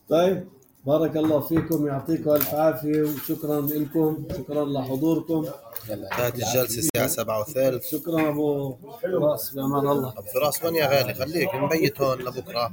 طيب بارك الله فيكم يعطيكم الف عافيه وشكرا لكم شكرا لحضوركم. انتهت الجلسه الساعه سبعة وثلث. شكرا ابو فراس بامان الله. ابو فراس وين يا غالي خليك نبيت هون لبكره.